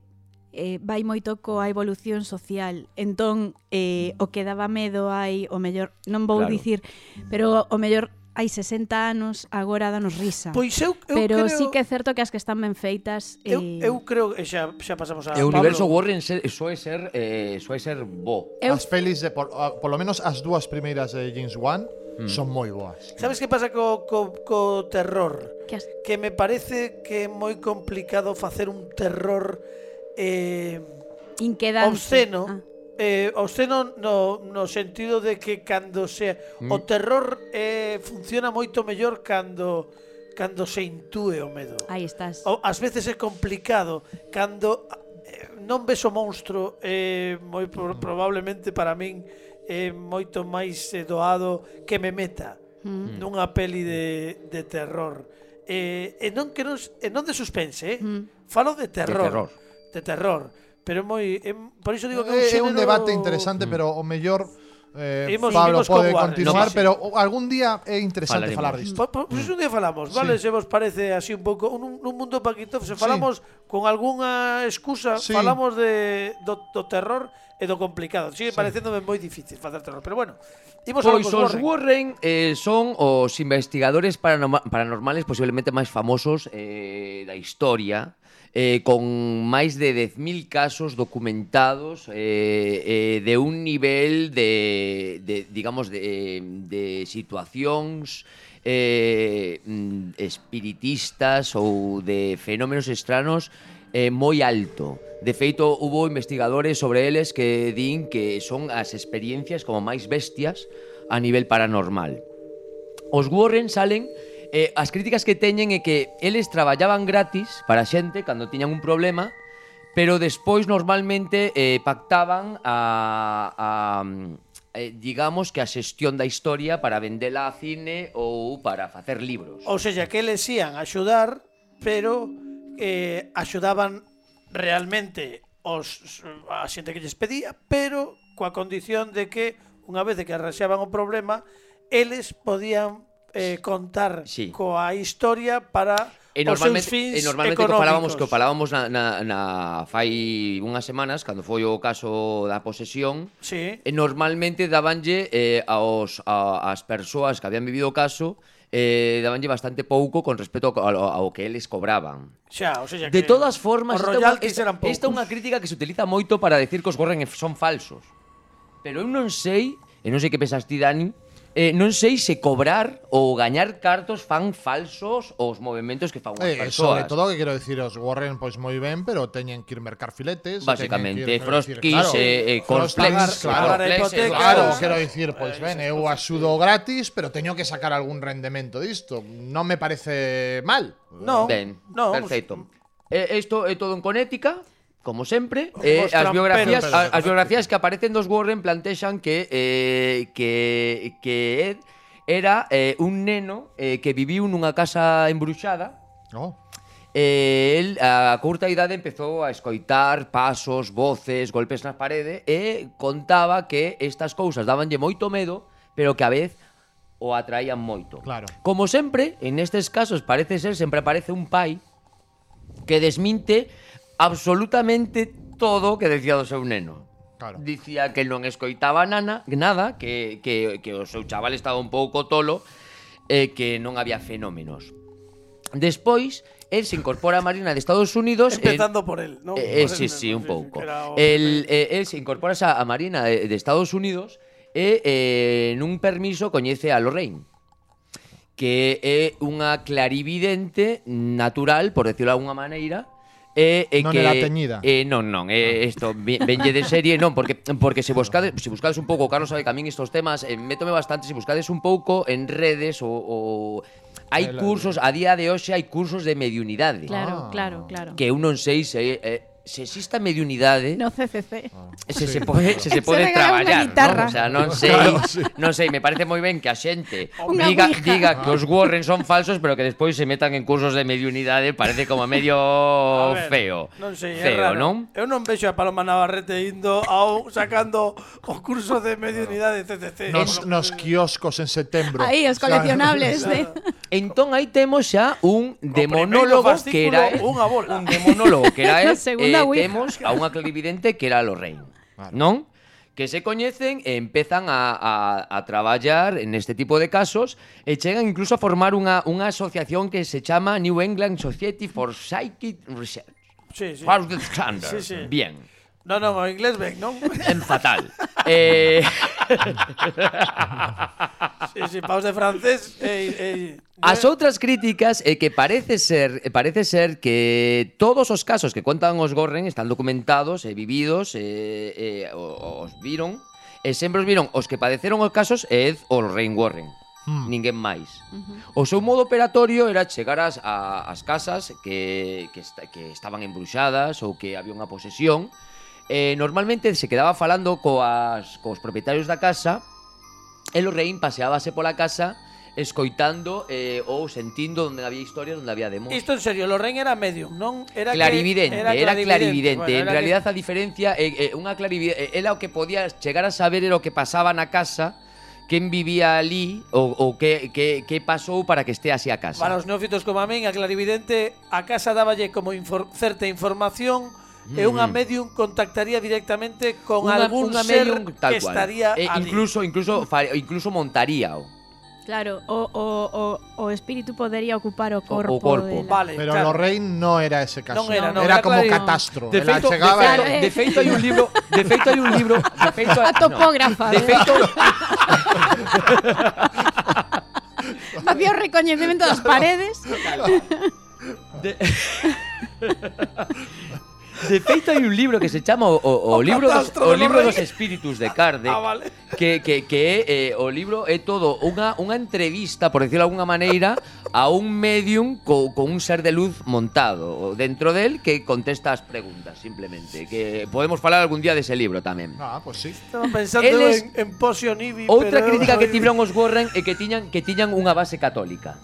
eh, vai moito coa evolución social. Entón, eh, o que daba medo hai, o mellor, non vou Claro. dicir, pero o mellor hai sesenta anos, agora danos risa. Pois eu, eu pero creo... sí que é certo que as que están ben feitas... Eu, eh, eu creo, e xa, xa pasamos a E o Pablo. universo Warren se, soe ser eh, soe ser bo. Eu- As pelis, de, por, a- por lo menos as dúas primeiras de James Wan Mm. son moi boas. Sabes que pasa co, co, co terror? que as- Que me parece que é moi complicado facer un terror eh, inquedante. obsceno. Ah. Eh, obsceno no, no sentido de que cando se o terror eh, funciona moito mellor cando cando se intúe o medo. Aí estás. O, ás veces é complicado cando eh, non ves o monstro, eh, moi pro, probablemente para min é moito máis eh, doado que me meta Mm. nunha peli de, de terror. Eh, e non que non, e non de suspense, eh? Mm. Falo de terror. terror. De terror. Pero é moi é, por iso digo que É, é un un xénero... debate interesante, pero o mellor eh, Imos- Pablo imos con pode Warren. continuar, No, sí. pero o- algún día é interesante Falaremos. falar disto. Po- po- Pois un día falamos, vale? Se vos parece así un pouco un, un mundo Paquito, se falamos con algunha excusa, Sí. falamos de do, do terror e do complicado. Sigue parecéndome moi difícil facer terror, pero bueno. Imos a Pois os Warren eh, son os investigadores paranoma- paranormales posiblemente máis famosos eh, da historia, eh, con máis de dez mil casos documentados eh, eh, de un nivel de, de digamos, de, de situacións eh, mm, espiritistas ou de fenómenos extranos eh, moi alto. De feito, hubo investigadores sobre eles que din que son as experiencias como máis bestias a nivel paranormal. Os Warren salen, eh, as críticas que teñen é que eles traballaban gratis para a xente cando tiñan un problema, pero despois normalmente eh, pactaban a, a eh, digamos que a xestión da historia para vendela a cine ou para facer libros. Ou seja, que eles ían a axudar, pero eh, axudaban realmente os, a xente que lles pedía, pero coa condición de que unha vez que arranxaban o problema, eles podían eh, contar Sí. coa historia para E os seus normalmente, fins e normalmente que falábamos, que económicos. falábamos na, na, na fai unhas semanas, cando foi o caso da posesión, Sí. e normalmente dabanlle eh, aos, a, as persoas que habían vivido o caso, eh, dabanlle bastante pouco con respecto ao, ao, ao que eles cobraban. Xa, o sea, De que todas formas, os esta é unha- royalties esta, eran poucos. esta é unha crítica que se utiliza moito para decir que os Warren son falsos. Pero eu non sei, e non sei que pensas ti, Dani, eh, non sei se cobrar ou gañar cartos fan falsos os movimentos que fan unhas Eh, persoas. sobre todo que quero dicir, os Warren pois moi ben, pero teñen que ir mercar filetes, Básicamente, teñen que ir, Frost quero Kiss, dicir, eh, eh, Frost Cornflakes, Kiss, claro, pagar a Cornflakes, hipoteca, Claro, Claro. quero dicir, pois ben, eu axudo gratis, pero teño que sacar algún rendemento disto. Non me parece mal. No, Ben, no, perfecto. Eh, isto é todo en conética, como sempre. Os Eh, as tramperos, biografías, pero- a- as biografías que aparecen dos Warren plantexan que eh, que que Ed era eh, un neno eh, que viviu nunha casa embruxada. No. Eh, el a curta idade empezou a escoitar pasos, voces, golpes na parede e contaba que estas cousas dabanlle moito medo, pero que a vez o atraían moito. Claro. Como sempre, en estes casos parece ser sempre aparece un pai que desminte absolutamente todo o que decía do seu neno. Claro. Dicía que non escoitaba nana, nada, que, que, que o seu chaval estaba un pouco tolo e que non había fenómenos. Despois, el se incorpora a Marina de Estados Unidos. Empezando por él, ¿no? Eh, eh, Por sí, él, sí, ¿no? un pouco. que era o- El, eh, el se incorpora a a Marina de, de Estados Unidos e eh, nun permiso coñece a Lorraine, que é unha clarividente natural, por decirlo de alguna maneira, e, e Non que era teñida. eh, non, non, eh, isto ve- venlle de serie, non, porque porque se buscades, se buscades un pouco, Carlos sabe que a min estos temas eh, métome bastante, se buscades un pouco en redes ou, ou hai El- cursos, a día de hoxe hai cursos de mediunidade. Claro, Ah. claro, claro. Que eu non sei se é se existe a mediunidade, No C C C. se se pode se se Se pode regala unha traballar, guitarra. ¿no? O sea, non sei, Claro, sí. non sei, me parece moi ben que a xente Unha diga ouija. diga que os Warren son falsos, pero que despois se metan en cursos de mediunidade, parece como medio A ver, feo. Non sei, é feo, raro. non? Eu non vexo a Paloma Navarrete indo ao sacando o curso de mediunidade C C C. Nos, nos kioscos en setembro. Aí, os coleccionables de... Entón aí temos xa un primeiro demonólogo que fascículo, era él, unha bola. un demonólogo que era él, Na segunda e ouija. temos a unha clarividente que era Lorraine, non? Que se coñecen e empezan a, a, a traballar en este tipo de casos e chegan incluso a formar unha, unha asociación que se chama New England Society for Psychic Research. Sí, sí. Harvard Standard. Sí, sí. Bien. Non, non, o inglés ben, non? En fatal. eh... Sí, sí, paus de francés. Eh, eh, As outras críticas é que parece ser parece ser que todos os casos que contan os Warren están documentados e vividos e, e os viron e sempre os viron os que padeceron os casos é o Lorraine Warren. Hmm. Ninguén máis. Uh-huh. O seu modo operatorio era chegar ás, a, as casas que, que, esta, que estaban embruxadas ou que había unha posesión. Eh, normalmente se quedaba falando coas, coas propietarios da casa e Lorraine paseábase pola casa escoitando eh, ou sentindo onde había historias, onde había demos. Isto en serio, Lorraine era medium, non? Era clarividente, que, era clarividente. Bueno, en era realidad que... a diferencia é eh, unha clarividente, era o que podía chegar a saber era o que pasaba na casa, quen vivía ali ou, ou que, que, que pasou para que este así a casa. Para os neófitos como a min, a clarividente a casa dáballe como infor certa información mm. e unha medium contactaría directamente con Unha- algún unha ser medium tal que cual. estaría E ali. incluso incluso fa- incluso montaría o, Claro, o, o, o, o espíritu podería ocupar o corpo. corpo. dela. Vale, Pero claro. Lorraine no era ese caso. Non era, non, era era como claro- catastro. De Ela feito, de chegaba feito, e- eh. de feito hai un libro, de feito hai un libro, de feito A topógrafa. No, de de- feito Facía o recoñecemento das paredes. de, de feito hai un libro que se chama o, o, o O libro dos, catastro o de libro Lorraine. dos espíritus de Kardec. Ah, vale. Que, que, que é, eh, o libro é todo unha, unha entrevista, por decirlo de alguna maneira, a un medium co, con un ser de luz montado dentro del que contesta as preguntas, simplemente. Que podemos falar algún día dese libro tamén. Ah, pues sí. Estaba pensando Eles- en, en Potion Ivy. Outra pero crítica eu que soy- tiveron os Warren é que tiñan que tiñan unha base católica.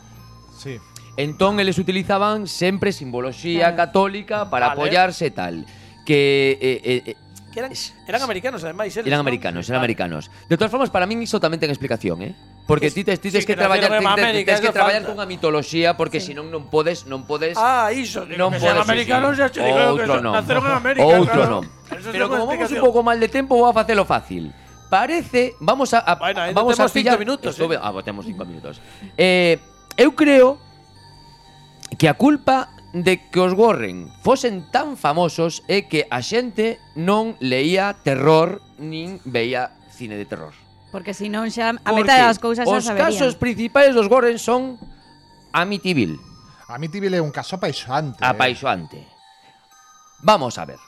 Sí. Entón eles utilizaban sempre simboloxía Claro. católica para Vale. apoyarse e tal. Que eh, eh, eh, Que eran, eran americanos, además. eles, eran ¿no? americanos, eran Vale. americanos. De todas formas, para min iso tamén ten explicación, eh? Porque Es- ti tes, ti tes sí, que, que traballar, nacieron en ti tes- América, tes que eso traballar falta. cunha mitoloxía porque Sí. senón non podes, non podes Ah, iso. Digo, non que sean podes americanos, sí. ya te digo que Outro son- non. naceron en América. Outro claro. non. Eso Pero ten unha como vamos un explicación. pouco mal de tempo, vou a facelo fácil. Parece, vamos a, a Bueno, ainda vamos a temos cinco pillar minutos, Esto, eh. Ah, pues temos cinco minutos. Eh, eu creo que a culpa de que os Warren fosen tan famosos é que a xente non leía terror nin veía cine de terror. Porque se non xa a Porque metade das cousas xa os saberían. casos principais dos Warren son Amityville, Amityville é un caso apaixoante. eh. apaixoante. Vamos a ver.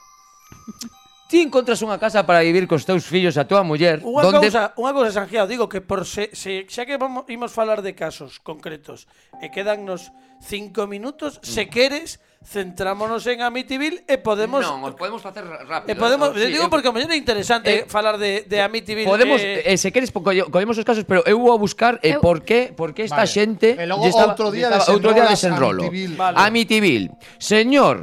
Ti encontras unha casa para vivir cos teus fillos e a tua muller, Unha donde cousa, unha cousa, Sangiao, digo que por se, se xa que vamos imos falar de casos concretos e quedannos cinco minutos, se queres, centrámonos en Amityville e podemos Non, os podemos facer rápido. e podemos, Sí, digo eu- porque a mellor é interesante eh, falar de de Amityville. Podemos, eh, eh, se queres, po- colle- collemos os casos, pero eu vou a buscar eh, Eu- por qué, por qué esta Vale. xente E logo lle estaba- outro día lle estaba- outro día desenrolo. desenrolas Amityville. Vale. Amityville. Señor,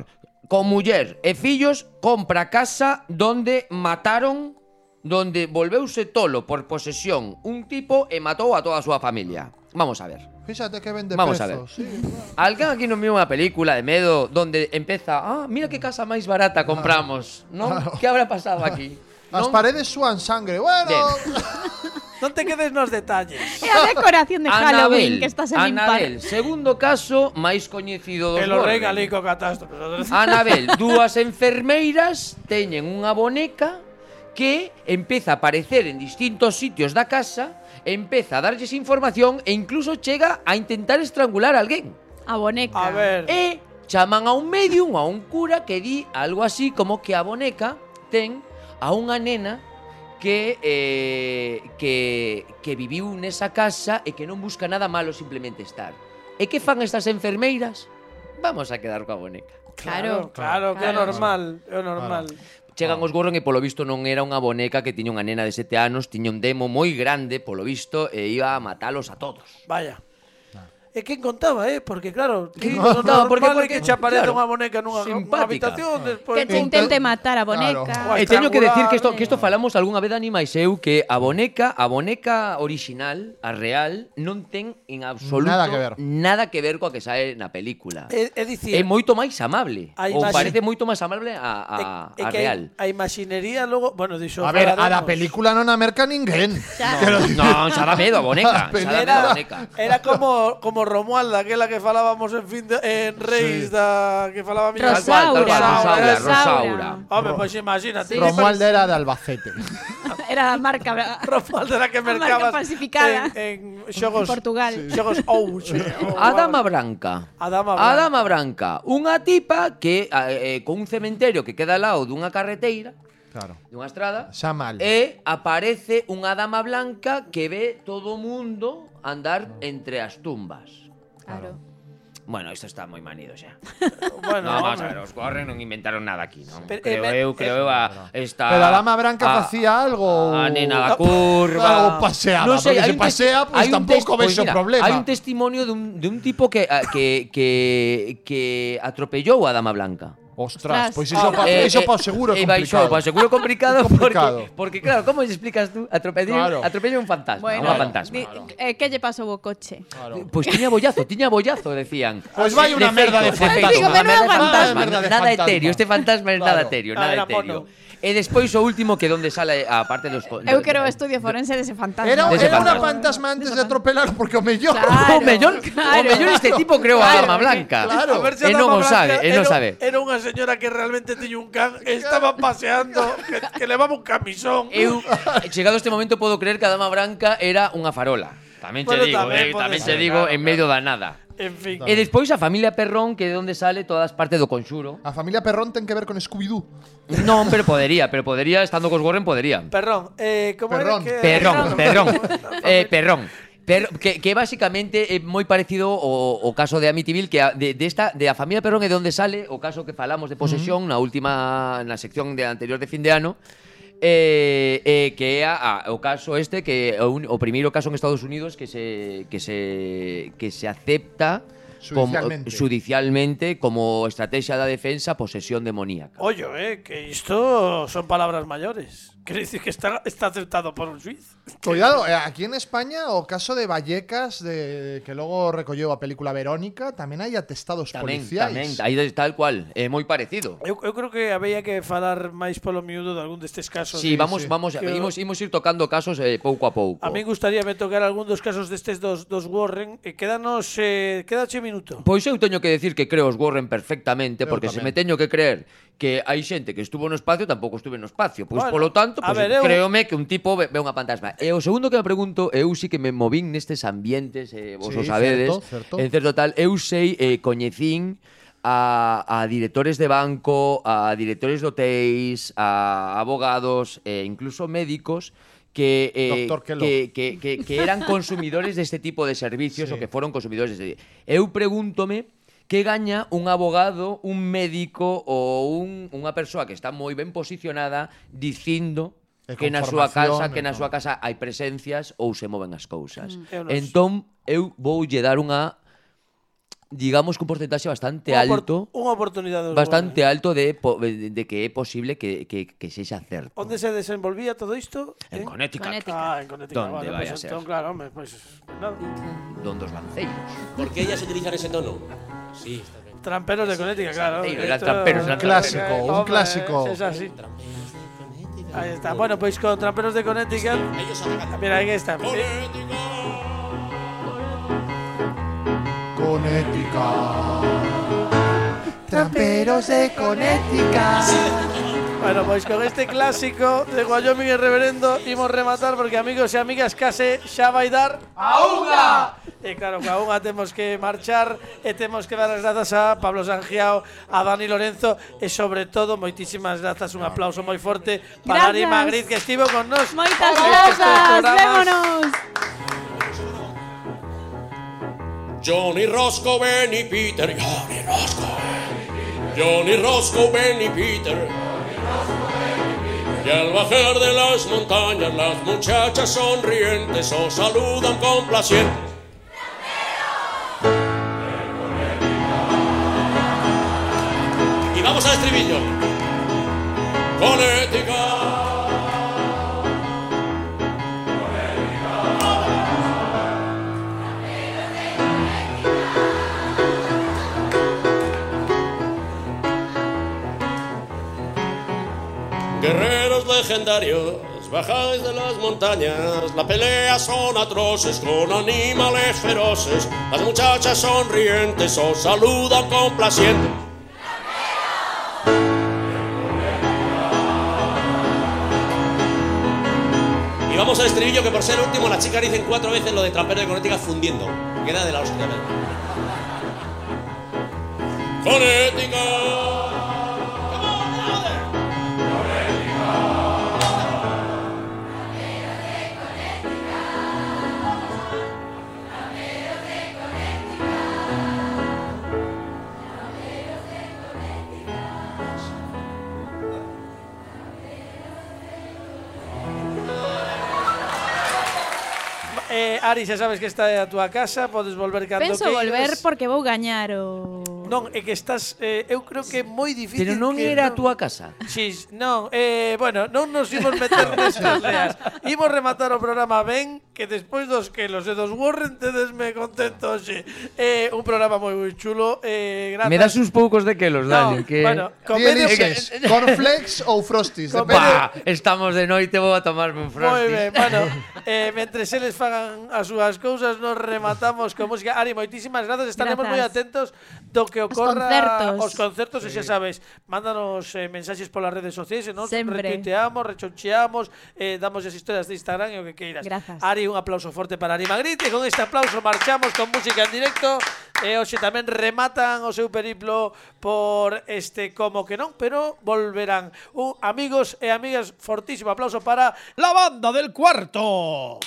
con muller e fillos, compra casa donde mataron, donde volveuse tolo por posesión un tipo e matou a toda a súa familia. Vamos a ver. Fíxate que vende Vamos a prezos. Sí, Alguén aquí non viu unha película de medo donde empeza, ah, mira que casa máis barata compramos, non? Claro. Que habrá pasado aquí? As Non? paredes súan sangre. Bueno, non te quedes nos detalles. É a decoración de Halloween que estás en limpar. Anabel, segundo caso máis coñecido dos Que lo Warren. regale co catástrofe. Anabel, dúas enfermeiras teñen unha boneca que empeza a aparecer en distintos sitios da casa, empeza a darlles información e incluso chega a intentar estrangular a alguén. A boneca. A ver. E chaman a un medium, a un cura que di algo así como que a boneca ten a unha nena que eh, que que viviu nesa casa e que non busca nada malo, simplemente estar. E que fan estas enfermeiras? Vamos a quedar coa boneca. Claro, claro, que é Claro. normal, é normal. Chegan os Warren e polo visto non era unha boneca que tiña unha nena de sete anos, tiña un demo moi grande, polo visto, e iba a matalos a todos. Vaya. E quen contaba, eh? Porque claro, ti Quen non contaba? Porque- normal é porque- que che aparece claro, unha boneca nunha, nunha simpática. habitación despois. Que te intente matar a boneca. Claro. E teño que decir que isto, estrangular, que isto falamos algunha vez de Animais eu, que a boneca, a boneca original, a real, non ten en absoluto Nada que ver. nada que ver coa que sae na película. É, é dicir, É moito máis amable. A Ou imagi- parece moito máis amable a, a, é a que real. A imaxinería logo, bueno, dixo A ver, a falaremos. da película non a merca ninguén. Xa. Non, xa dá medo a boneca. Xa dá medo a Era, boneca. era como como Romualda, aquela que falábamos en fin de, en Reis Sí. da que falaba mi Tal cual, tal cual, Rosaura, Rosaura. Hombre, pues imagínate. Romualda era de Albacete. Era a marca bra- Romualda era que A marca mercabas falsificada. en, en xogos Portugal. Xogos Ouche. A Dama Branca. A Dama A Branca. Dama Branca. Unha tipa que eh, con un cementerio que queda ao lado dunha carreteira, Claro. dunha estrada, Xa mal. e aparece unha dama blanca que ve todo o mundo andar entre as tumbas. Claro. Bueno, isto está moi manido xa. Bueno, No, vamos a hombre. ver, os Warren non inventaron nada aquí, non? Pero, Creo eh, eu, creo eu a esta Pero a Dama Branca a- facía algo. A nena da Algo curva. paseaba, porque se hai un tes- pasea, pues hai un tampouco tes- vexo mira, problema. Hai un testimonio de un, de un tipo que, a- que, que, que atropellou a Dama Blanca. Ostras, Ostras. pois iso pa, Eh, iso eh, pa seguro eh, complicado. baixou, pa seguro complicado, Complicado. Porque, porque claro, como lle explicas tú? Atropellou, Claro. atropellou un fantasma, Bueno, unha fantasma. di- eh, que lle pasou o coche? Claro. Pois pues tiña bollazo, tiña bollazo, decían. Pois vai unha merda de feito, fantasma. Digo, unha menudo merda de fantasma. Merda de Nada fantasma. etéreo, este fantasma é nada Claro. etéreo, Ah, nada era etéreo. mono. E despois o último que donde sale a parte dos Eu quero o estudio forense dese fantasma. Era, Dese era unha fantasma. fantasma antes de atropelar porque o mellor. Claro. O mellor, claro. o mellor este tipo creou a Claro, Dama Blanca. claro. A ver se a E non Dama o sabe, Blanca e non era- sabe. Era unha señora que realmente tiña un can, estaba paseando, que, que levaba un camisón. Eu, chegado este momento, podo creer que a Dama Branca era unha farola. Tamén che Bueno, digo, tamén eh, pode tamén ser, che digo, claro, en medio da nada. En fin. E despois a familia Perrón, que é onde sale todas partes do Conxuro. A familia Perrón ten que ver con Scooby-Doo. Non, pero podería, pero podería, estando cos Warren, podería. Perrón, eh, como Perrón. era que Perrón, perrón, eh, Eh, perrón. Pero que, que basicamente é moi parecido ao, ao caso de Amityville, que a, de, de esta de a familia Perrón é de onde sale o caso que falamos de posesión na última na sección de anterior de fin de ano. Eh, eh, que é a, a, o caso este que é o, un, o primeiro caso en Estados Unidos que se que se que se acepta como, Judicialmente. judicialmente como estrategia da defensa posesión demoníaca. Ollo, eh, que isto son palabras mayores. Quiere decir que está, está aceptado por un suiz. Cuidado, eh, aquí en España o caso de Vallecas de que logo recolleu a película Verónica, tamén hai atestados Tamén, policiais. tamén, aí tal cual, é moi parecido. Eu, eu creo que había que falar máis polo miúdo de algún destes casos. Sí, Sí, vamos, sí. vamos, Que- imos, imos ir tocando casos eh, pouco a pouco. A mí gustaría me tocar algún dos casos destes dos, dos Warren. E quédanos, eh, quédache minuto. Pois eu teño que decir que creo os Warren perfectamente, Eu porque se tamén. me teño que creer que hai xente que estuvo no espacio, tampouco estuve no espacio. Pois Bueno, polo tanto, a pois ver, eu- créome que un tipo ve, ve unha fantasma. E o segundo que me pregunto, eu sí que me movín nestes ambientes, eh, vos Sí, o sabedes, certo, certo. en certo tal, eu sei, eh, coñecín a, a directores de banco, a directores de hotéis, a abogados e incluso médicos que, eh, Doctor Kellogg. que, que, que, que eran consumidores deste tipo de servicios Sí. ou que foron consumidores deste. Eu pregúntome que gaña un abogado, un médico ou un, unha persoa que está moi ben posicionada dicindo E que con na súa formación, casa, que na e súa casa hai presencias ou se moven as cousas. Eu non Entón, eu voulle dar unha digamos que un porcentaxe bastante Unha opor- alto, Unha oportunidade dos bastante Warren. alto de, po- de de que é posible que, que, que sexa certo. Onde se desenvolvía todo isto? En Connecticut, Connecticut. Ah, en Connecticut. Donde Vale, vaya pues a ser. entón, claro, hombre, pues, pues nada. donde os lanceiros. ¿Por qué ellas utilizan ese tono? Sí, está bien. Tramperos de Connecticut, claro. Sí, eran Esto- tramperos, eran Un clásico, un Hombre, clásico. Es así. Ahí está. Bueno, pues con Tramperos de Connecticut. Ellos alegan. Mira, aquí está. Connecticut. Tramperos de Connecticut. Bueno, pues con este clásico de Wyoming el Reverendo imos rematar porque amigos e amigas case xa vai dar a unha. E claro, que a unha temos que marchar e temos que dar as grazas a Pablo Sangiao, a Dani Lorenzo e sobre todo moitísimas grazas, un aplauso moi forte para Ari Grazas. Magriz que estivo con nos. Moitas nestes grazas, programas. vémonos. Johnny Roscoe, Benny Peter, Johnny Roscoe. Johnny, Roscoe, Ben y Peter. Y al bajar de las montañas las muchachas sonrientes os saludan complacientes. Y vamos al estribillo. Connecticut. Guerreros legendarios, bajáis de las montañas, las peleas son atroces con animales feroces, las muchachas sonrientes os saludan complacientes. Y vamos al estribillo, que por ser el último las chicas dicen cuatro veces lo de trampero de Connecticut fundiendo. Queda de la hostia. Connecticut. Eh, Ari, xa sabes que está a túa casa, podes volver cando Penso queiras. volver porque vou gañar o... Non, é que estás, eh, eu creo que é moi difícil. Pero non que era a non... túa casa. Sí, non, eh, bueno, non nos imos meter nestas leas. Imos rematar o programa ben, que despois dos que los de dos Warren tedesme contento, xe. Eh, un programa moi moi chulo, eh, grazas. Me das uns poucos de quelos, Dani, No, que bueno, Ti comedio eliges que... cornflakes ou frosties, Con- depende. Pa, estamos de noite, vou a tomarme un Moi frosty. ben, bueno, eh, mentre eles fagan as súas cousas, nos rematamos con música. Ari, moitísimas grazas, estaremos moi Grazas. atentos do que ocorra concertos. os concertos, e xa sabes, mándanos eh, mensaxes polas redes sociais, e nos Sempre. retuiteamos, rechoncheamos, eh, damos as historias de Instagram e o que queiras. Grazas. Ari, un aplauso forte para Ari Magritte, e con este aplauso marchamos con música en directo, e hoxe tamén rematan o seu periplo por este Como que non, pero volverán. Un, amigos e amigas, fortísimo aplauso para la banda del cuarto.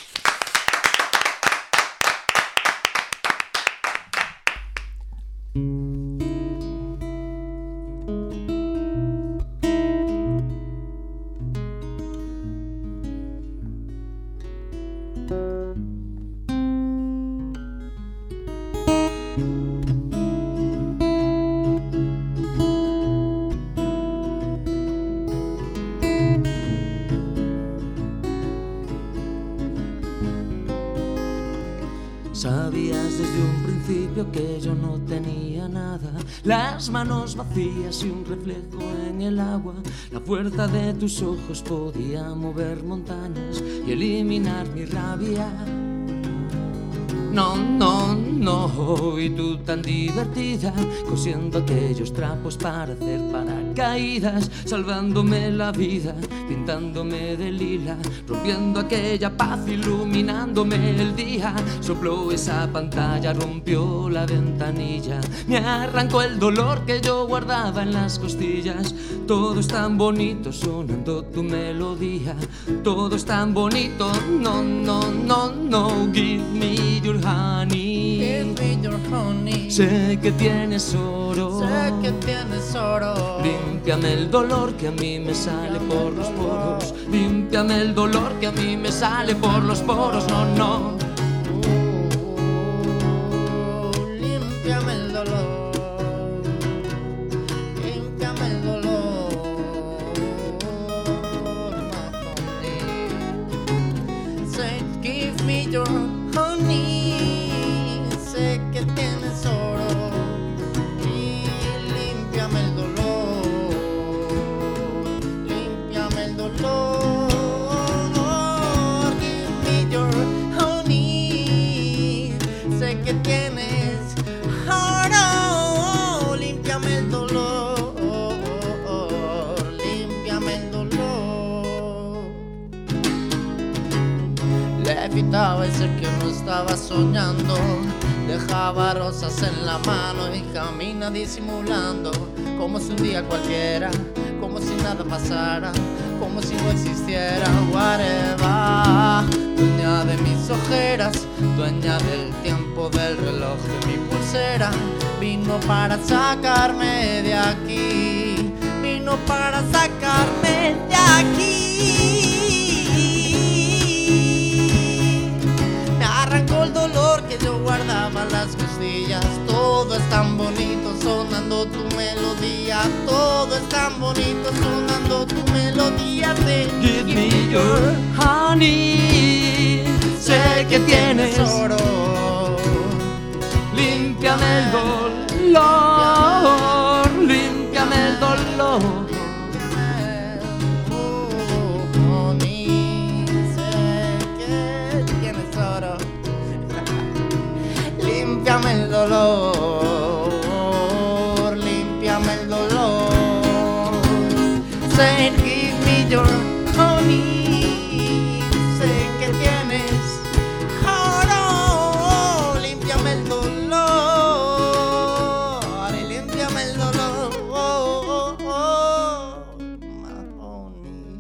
Sabías desde un principio que yo no tenía nada, las manos vacías y un reflejo en el agua. La fuerza de tus ojos podía mover montañas y eliminar mi rabia. No, no, no, y tú tan divertida, cosiendo aquellos trapos para hacer paracaídas, salvándome la vida, pintándome de lila, rompiendo aquella paz, iluminándome el día. Sopló esa pantalla, rompió la ventanilla, me arrancó el dolor que yo guardaba en las costillas. Todo es tan bonito sonando tu melodía, todo es tan bonito, no, no, no, no, give me your honey. Give me your honey. Sé que tienes oro. Sé que tienes oro. Límpiame el dolor que a mí me sale por los poros. Límpiame el dolor que a mí me sale por los poros. No, no. Uh, límpiame el dolor. Límpiame el dolor. My honey. Say, give me your honey. Sé que tienes oro y límpiame el dolor, límpiame el dolor. Give me your honey. Sé que tienes oro, límpiame el dolor, límpiame el dolor. Levitaba y sé que no estaba soñando. Dejaba rosas en la mano y camina disimulando, como si un día cualquiera, como si nada pasara, como si no existiera. Whatever, dueña de mis ojeras, dueña del tiempo tiempo del reloj de mi pulsera. Vino para sacarme de aquí, vino para sacarme de aquí. Me arrancó el dolor que yo guardaba en las costillas. Todo es tan bonito sonando tu melodía. Todo es tan bonito sonando tu melodía. De Give me your honey. Sé que tienes oro. Límpiame el dolor, límpiame el dolor. Honey, sé que tienes oro. Límpiame el dolor, límpiame el dolor. Say, give me your honey. Sé que tienes oro. Límpiame el dolor, y límpiame el dolor. Oh, oh, oh, my honey.